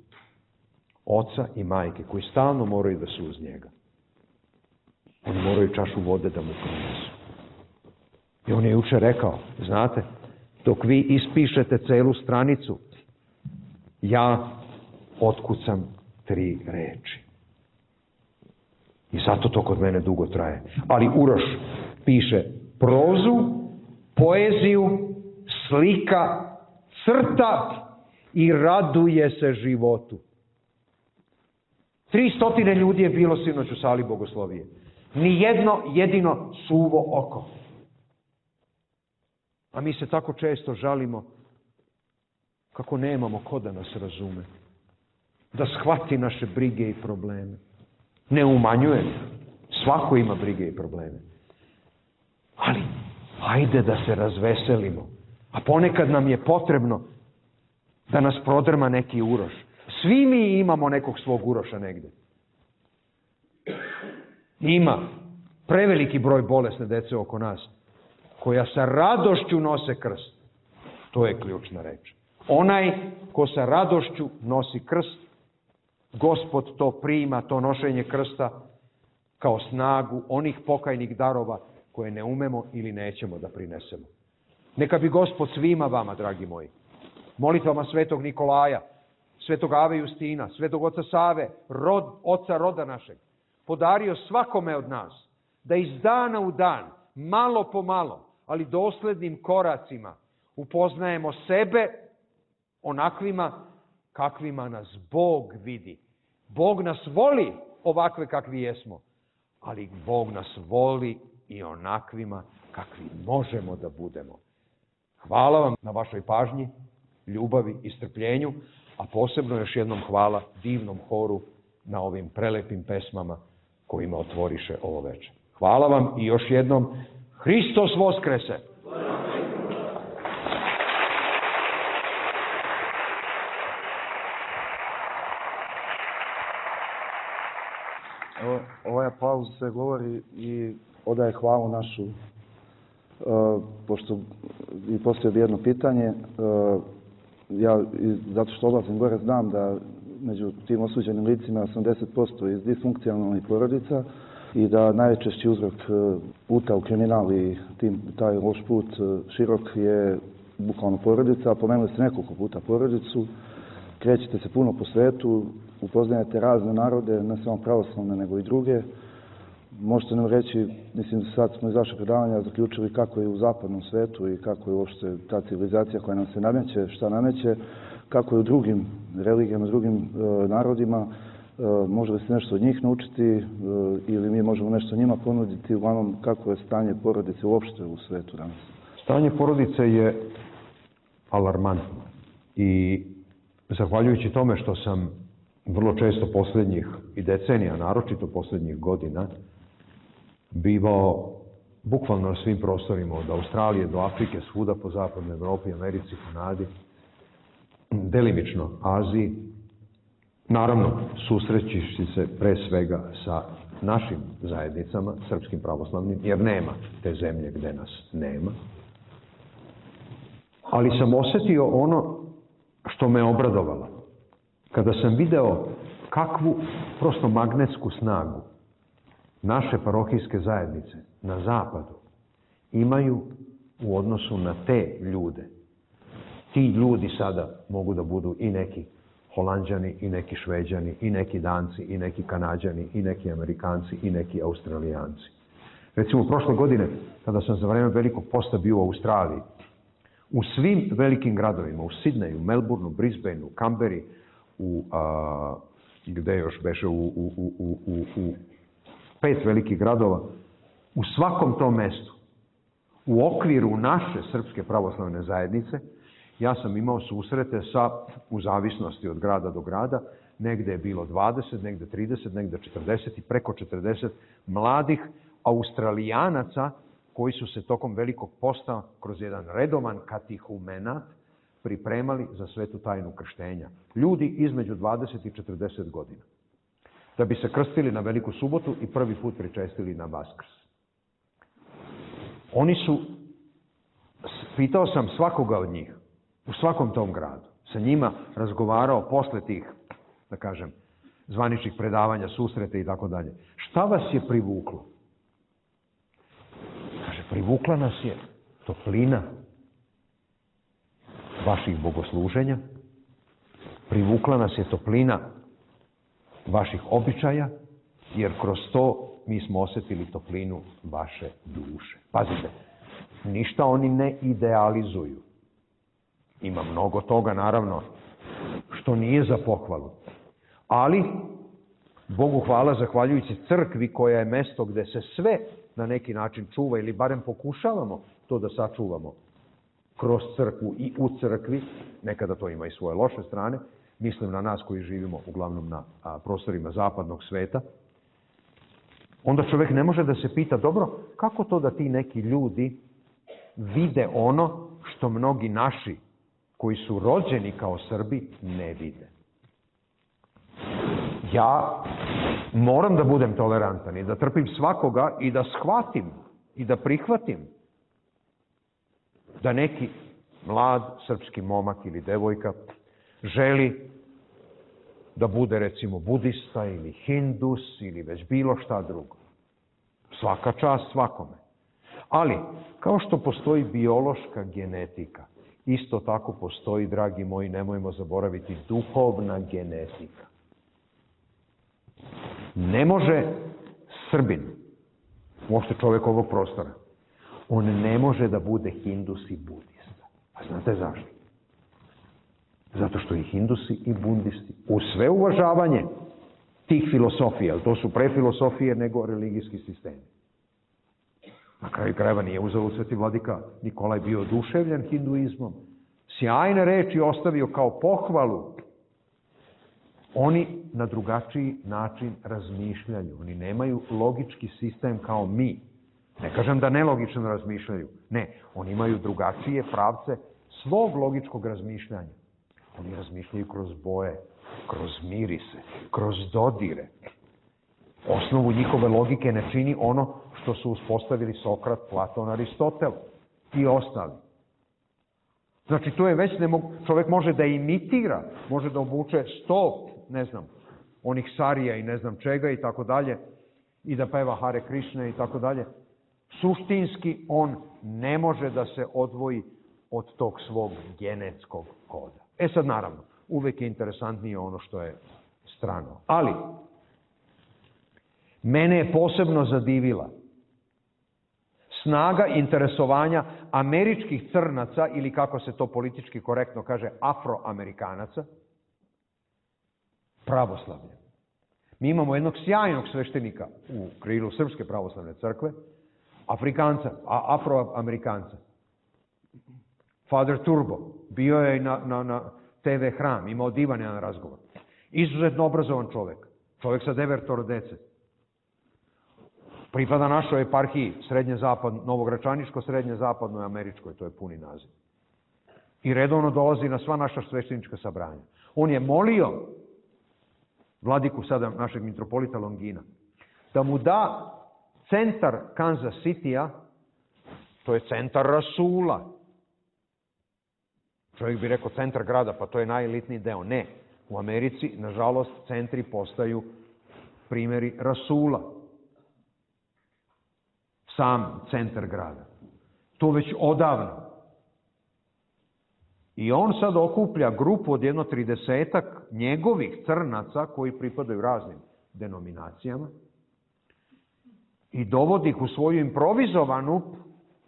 oca i majke koji stalno moraju da su uz njega. Oni moraju čašu vode da mu prinesu. I on je juče rekao, znate, dok vi ispišete celu stranicu, ja otkucam 3 reči. I zato to kod mene dugo traje. Ali Uroš piše prozu, poeziju, slika, crta i raduje se životu. 300 ljudi je bilo sinoć u sali Bogoslovije. Ni jedno jedino suvo oko. A mi se tako često žalimo kako nemamo ko da nas razume, da shvati naše brige i probleme. Ne umanjujem, svako ima brige i probleme. Ali, hajde da se razveselimo. A ponekad nam je potrebno da nas prodrma neki Uroš. Svi mi imamo nekog svog Uroša negde. Ima preveliki broj bolesne dece oko nas, koja sa radošću nose krst. To je ključna reč. Onaj ko sa radošću nosi krst, Gospod to prima, to nošenje krsta, kao snagu onih pokajnih darova koje ne umemo ili nećemo da prinesemo. Neka bi Gospod svima vama, dragi moji, molitvama svetog Nikolaja, svetog Ave Justina, svetog oca Save, oca roda našeg, podario svakome od nas da iz dana u dan, malo po malo, ali doslednim koracima upoznajemo sebe onakvima kakvima nas Bog vidi. Bog nas voli ovakve kakvi jesmo, ali Bog nas voli i onakvima kakvi možemo da budemo. Hvala vam na vašoj pažnji, ljubavi i strpljenju, a posebno još jednom hvala divnom horu na ovim prelepim pesmama kojima otvoriše ovo večer. Hvala vam i još jednom Hristos Voskrese! Ovaj aplauz se govori i odaje hvalu našu, pošto i postoji bi jedno pitanje. Ja, zato što odlazim gore, znam da među tim osuđenim licima 80% iz disfunkcionalnih porodica i da najčešći uzrok puta u kriminal i taj loš put širok je bukvalno porodica. Pomenuli ste nekoliko puta porodicu, krećete se puno po svetu, upoznajete razne narode, ne samo pravoslavne nego i druge. Možete nam reći, mislim da sad smo iz vašeg predavanja zaključili kako je u zapadnom svetu i kako je uopšte ta civilizacija koja nam se nameće, šta nameće, kako je u drugim religijama, drugim narodima. Može li se nešto od njih naučiti ili mi možemo nešto njima ponuditi, uglavnom kako je stanje porodice uopšte u svetu danas? Stanje porodice je alarmantno i zahvaljujući tome što sam vrlo često posljednjih i decenija, naročito posljednjih godina, bivao bukvalno na svim prostorima, od Australije do Afrike, svuda po zapadnoj Evropi, Americi, Kanadi, delimično Aziji, naravno susrećući se pre svega sa našim zajednicama, srpskim pravoslavnim, jer nema te zemlje gde nas nema. Ali sam osetio ono što me obradovalo. Kada sam video kakvu prosto magnetsku snagu naše parohijske zajednice na zapadu imaju u odnosu na te ljude. Ti ljudi sada mogu da budu i neki Holanđani, i neki Šveđani, i neki Danci, i neki Kanađani, i neki Amerikanci, i neki Australijanci. Recimo, prošle godine, kada sam za vreme velikog posta bio u Australiji, u svim velikim gradovima, u Sidneju, Melbourneu, Brisbaneu, Kamberi, gde još beše, u 5 velikih gradova, u svakom tom mestu, u okviru naše Srpske pravoslavne zajednice, ja sam imao susrete sa, u zavisnosti od grada do grada, negde je bilo 20, negde 30, negde 40 i preko 40 mladih Australijanaca koji su se tokom velikog posta kroz jedan redovan katehumenat pripremali za svetu tajnu krštenja. Ljudi između 20 i 40 godina. Da bi se krstili na Veliku subotu i prvi put pričestili na Vaskrs. Oni su, pitao sam svakoga od njih, u svakom tom gradu, sa njima razgovarao posle tih, da kažem, zvaničnih predavanja, susrete i tako dalje. Šta vas je privuklo? Kaže, privukla nas je toplina vaših bogosluženja, privukla nas je toplina vaših običaja, jer kroz to mi smo osetili toplinu vaše duše. Pazite, ništa oni ne idealizuju. Ima mnogo toga, naravno, što nije za pohvalu. Ali, Bogu hvala, zahvaljujući crkvi koja je mesto gde se sve na neki način čuva, ili barem pokušavamo to da sačuvamo kroz crkvu i u crkvi, nekada to ima i svoje loše strane, mislim na nas koji živimo uglavnom na prostorima zapadnog sveta, onda čovjek ne može da se pita, dobro, kako to da ti neki ljudi vide ono što mnogi naši koji su rođeni kao Srbi ne vide. Ja moram da budem tolerantan i da trpim svakoga i da shvatim i da prihvatim da neki mlad srpski momak ili devojka želi da bude, recimo, budista ili hindus ili već bilo šta drugo. Svaka čast svakome. Ali, kao što postoji biološka genetika, isto tako postoji, dragi moji, nemojmo zaboraviti, duhovna genetika. Ne može Srbin, uopšte čovjek ovog prostora, on ne može da bude hindus i budista. A znate zašto? Zato što i hindusi i budisti, u sve uvažavanje tih filosofija, to su pre filosofije nego religijski sistemi. Na kraju krajeva nije uzeo sveti vladika Nikolaj bio oduševljen hinduizmom. Sjajne reči ostavio kao pohvalu. Oni na drugačiji način razmišljaju. Oni nemaju logički sistem kao mi. Ne kažem da nelogično razmišljaju. Ne, oni imaju drugačije pravce svog logičkog razmišljanja. Oni razmišljaju kroz boje, kroz mirise, kroz dodire. osnovu njihove logike ne čini ono što su uspostavili Sokrat, Platon, Aristotel i ostali. Znači, to je već čovjek može da imitira, može da obuče 100, ne znam, onih sarija i ne znam čega i tako dalje, i da peva Hare Krishna i tako dalje. Suštinski on ne može da se odvoji od tog svog genetskog koda. Sad naravno, uvek je interesantnije ono što je strano. Ali, mene je posebno zadivila snaga interesovanja američkih crnaca, ili kako se to politički korektno kaže, afroamerikanaca, pravoslavljem. Mi imamo jednog sjajnog sveštenika u krilu Srpske pravoslavne crkve, afroamerikanca. Father Turbo, bio je na TV Hram, imao divan jedan razgovor. Izuzetno obrazovan čovek, čovek sa 9 dece. Pripada našoj eparhiji, Novogračaničko, srednje-zapadnoj američkoj, to je puni naziv. I redovno dolazi na sva naša sveštenička sabranja. On je molio vladiku sada našeg mitropolita Longina da mu da centar Kansas City-a, to je centar rasula. Čovjek bi rekao centar grada, pa to je najelitniji deo. Ne, u Americi, nažalost, centri postaju primjeri rasula. Sam centar grada. To već odavno. I on sad okuplja grupu od 30 njegovih crnaca koji pripadaju raznim denominacijama i dovodi ih u svoju improvizovanu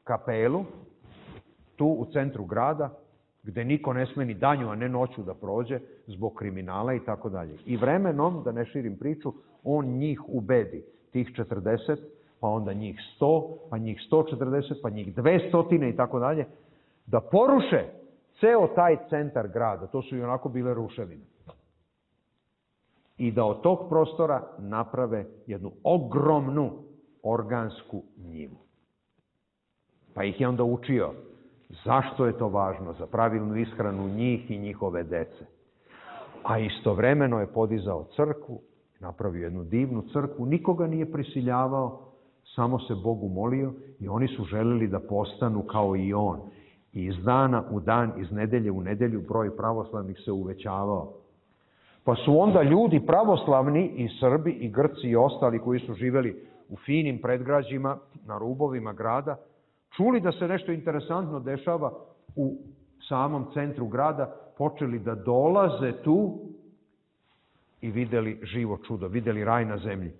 kapelu tu u centru grada, gde niko ne sme ni danju, a ne noću da prođe zbog kriminala i tako dalje. I vremenom, da ne širim priču, on njih ubedi, tih 40, pa onda njih 100, pa njih 140, pa njih 200 i tako dalje, da poruše ceo taj centar grada. To su i onako bile ruševine. I da od tog prostora naprave jednu ogromnu organsku njivu. Pa ih je onda učio zašto je to važno za pravilnu ishranu njih i njihove dece. A istovremeno je podizao crkvu, napravio jednu divnu crkvu, nikoga nije prisiljavao, samo se Bogu molio i oni su želeli da postanu kao i on. I iz dana u dan, iz nedelje u nedelju broj pravoslavnih se uvećavao. Pa su onda ljudi pravoslavni, i Srbi, i Grci, i ostali koji su živeli u finim predgrađima, na rubovima grada, čuli da se nešto interesantno dešava u samom centru grada, počeli da dolaze tu i videli živo čudo, videli raj na zemlji.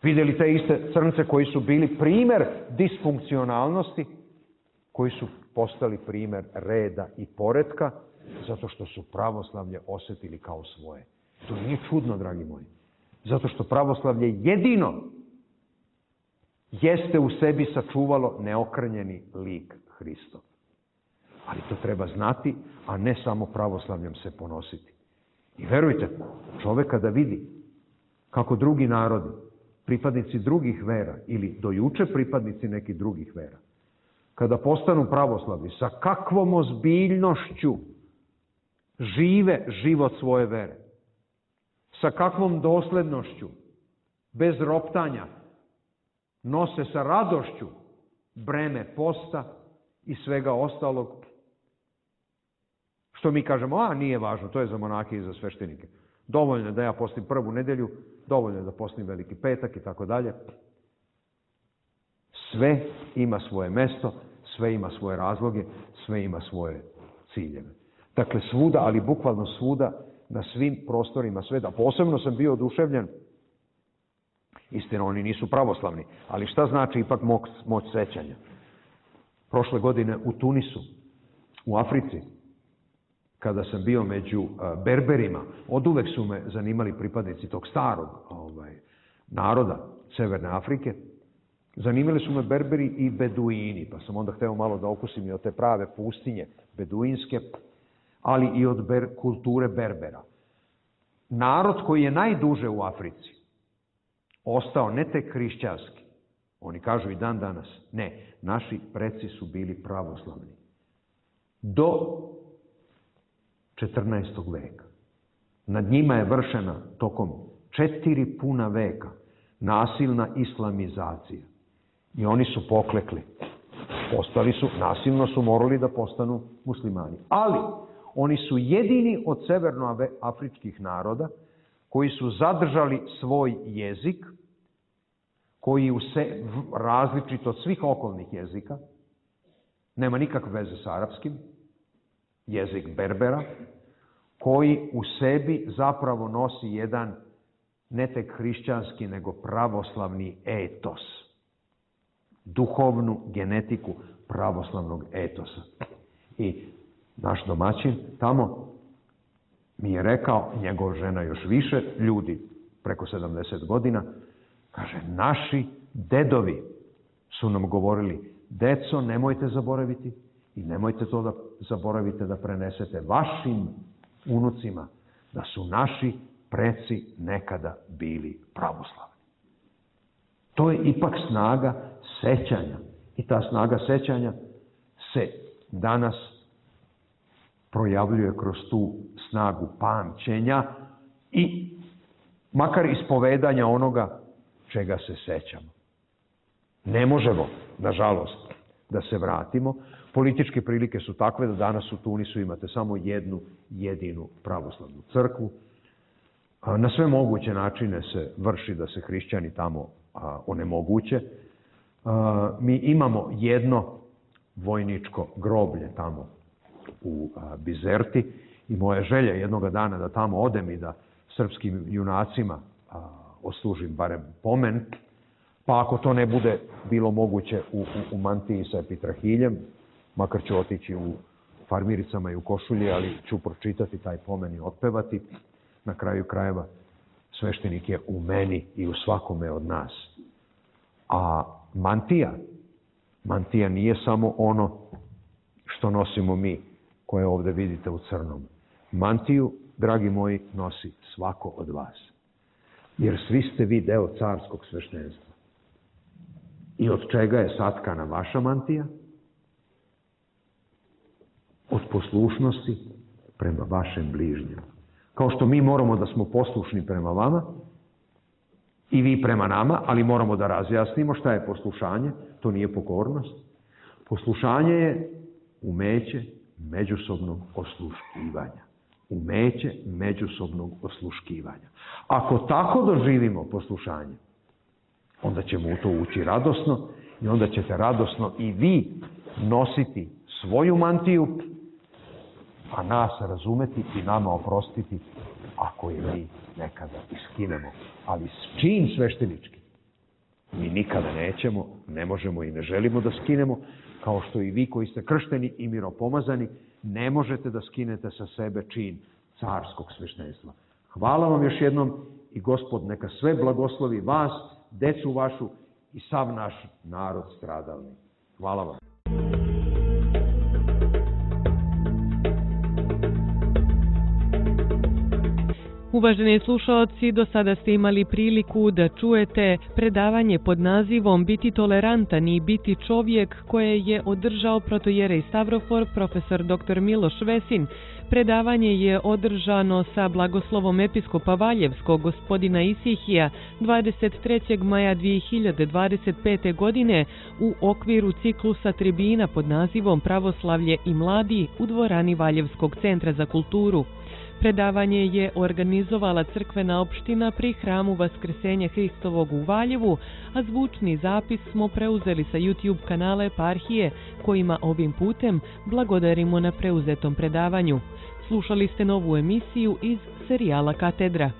Videli te iste crnce koji su bili primer disfunkcionalnosti, koji su postali primer reda i poretka, zato što su pravoslavlje osetili kao svoje. To nije čudno, dragi moji. Zato što pravoslavlje jedino jeste u sebi sačuvalo neokrnjeni lik Hristov. Ali to treba znati, a ne samo pravoslavljem se ponositi. I verujte, čovek kada vidi kako drugi narodi, pripadnici drugih vera ili dojuče pripadnici nekih drugih vera, kada postanu pravoslavni, sa kakvom ozbiljnošću žive život svoje vere, sa kakvom doslednošću, bez roptanja, nose sa radošću breme posta i svega ostalog, što mi kažemo, nije važno, to je za monahe i za sveštenike. Dovoljno je da ja postim prvu nedelju, dovoljno je da postim Veliki petak i tako dalje. Sve ima svoje mesto, sve ima svoje razloge, sve ima svoje ciljeve. Dakle, svuda, ali bukvalno svuda, na svim prostorima sveta. Posebno sam bio oduševljen, istina, oni nisu pravoslavni, ali šta znači ipak moć sećanja? Prošle godine u Tunisu, u Africi, kada sam bio među Berberima, oduvek su me zanimali pripadnici tog starog naroda Severne Afrike. Zanimali su me Berberi i Beduini, pa sam onda hteo malo da okusim i od te prave pustinje beduinske, ali i od kulture Berbera. Narod koji je najduže u Africi ostao ne tek hrišćanski, oni kažu i dan danas, ne, naši preci su bili pravoslavni. Do 14. veka. Nad njima je vršena tokom 4 puna veka nasilna islamizacija. I oni su poklekli. Nasilno su morali da postanu muslimani. Ali oni su jedini od severnoafričkih naroda koji su zadržali svoj jezik, koji različit od svih okolnih jezika, nema nikakve veze s arapskim, jezik Berbera, koji u sebi zapravo nosi jedan ne tek hrišćanski, nego pravoslavni etos. Duhovnu genetiku pravoslavnog etosa. I naš domaćin tamo mi je rekao, njegova žena još više, ljudi preko 70 godina, kaže, naši dedovi su nam govorili, deco, nemojte zaboraviti i nemojte to da zaboravite da prenesete vašim unucima, da su naši preci nekada bili pravoslavni. To je ipak snaga sećanja. I ta snaga sećanja se danas projavljuje kroz tu snagu pamćenja i makar ispovedanja onoga čega se sećamo. Ne možemo, nažalost, da se vratimo. Političke prilike su takve da danas u Tunisu imate samo jednu jedinu pravoslavnu crkvu. Na sve moguće načine se vrši da se hrišćani tamo onemoguće. Mi imamo jedno vojničko groblje tamo u Bizerti i moja želja jednoga dana da tamo odem i da srpskim junacima odslužim barem pomen, pa ako to ne bude bilo moguće u mantiji sa epitrahiljem, makar ću otići u farmiricama i u košulji, ali ću pročitati taj pomen i otpevati. Na kraju krajeva sveštenik je u meni i u svakome od nas. A mantija nije samo ono što nosimo mi, koje ovdje vidite u crnom. Mantiju, dragi moji, nosi svako od vas. Jer svi ste vi deo carskog sveštenstva. I od čega je satkana vaša mantija? Od poslušnosti prema vašem bližnjem. Kao što mi moramo da smo poslušni prema vama i vi prema nama, ali moramo da razjasnimo šta je poslušanje. To nije pokornost. Poslušanje je umeće međusobnog osluškivanja. Umeće međusobnog osluškivanja. Ako tako doživimo poslušanje, onda ćemo u to ući radosno i onda ćete radosno i vi nositi svoju mantiju, a nas razumeti i nama oprostiti ako je mi nekada iskinemo. Ali čin sveštenički mi nikada nećemo, ne možemo i ne želimo da skinemo, kao što i vi koji ste kršteni i miropomazani ne možete da skinete sa sebe čin carskog sveštenstva. Hvala vam još jednom i Gospod neka sve blagoslovi vas, decu vašu i sav naš narod stradalni. Hvala vam. Uvaženi slušaoci, do sada ste imali priliku da čujete predavanje pod nazivom Biti tolerantan i biti čovjek koje je održao protojerej Stavrofor profesor dr. Miloš Vesin. Predavanje je održano sa blagoslovom episkopa Valjevskog gospodina Isihija 23. maja 2025. godine u okviru ciklusa tribina pod nazivom Pravoslavlje i mladi u dvorani Valjevskog centra za kulturu. Predavanje je organizovala crkvena opština pri hramu Vaskrsenja Hristovog u Valjevu, a zvučni zapis smo preuzeli sa YouTube kanala Eparhije, kojima ovim putem blagodarimo na preuzetom predavanju. Slušali ste novu emisiju iz serijala Katedra.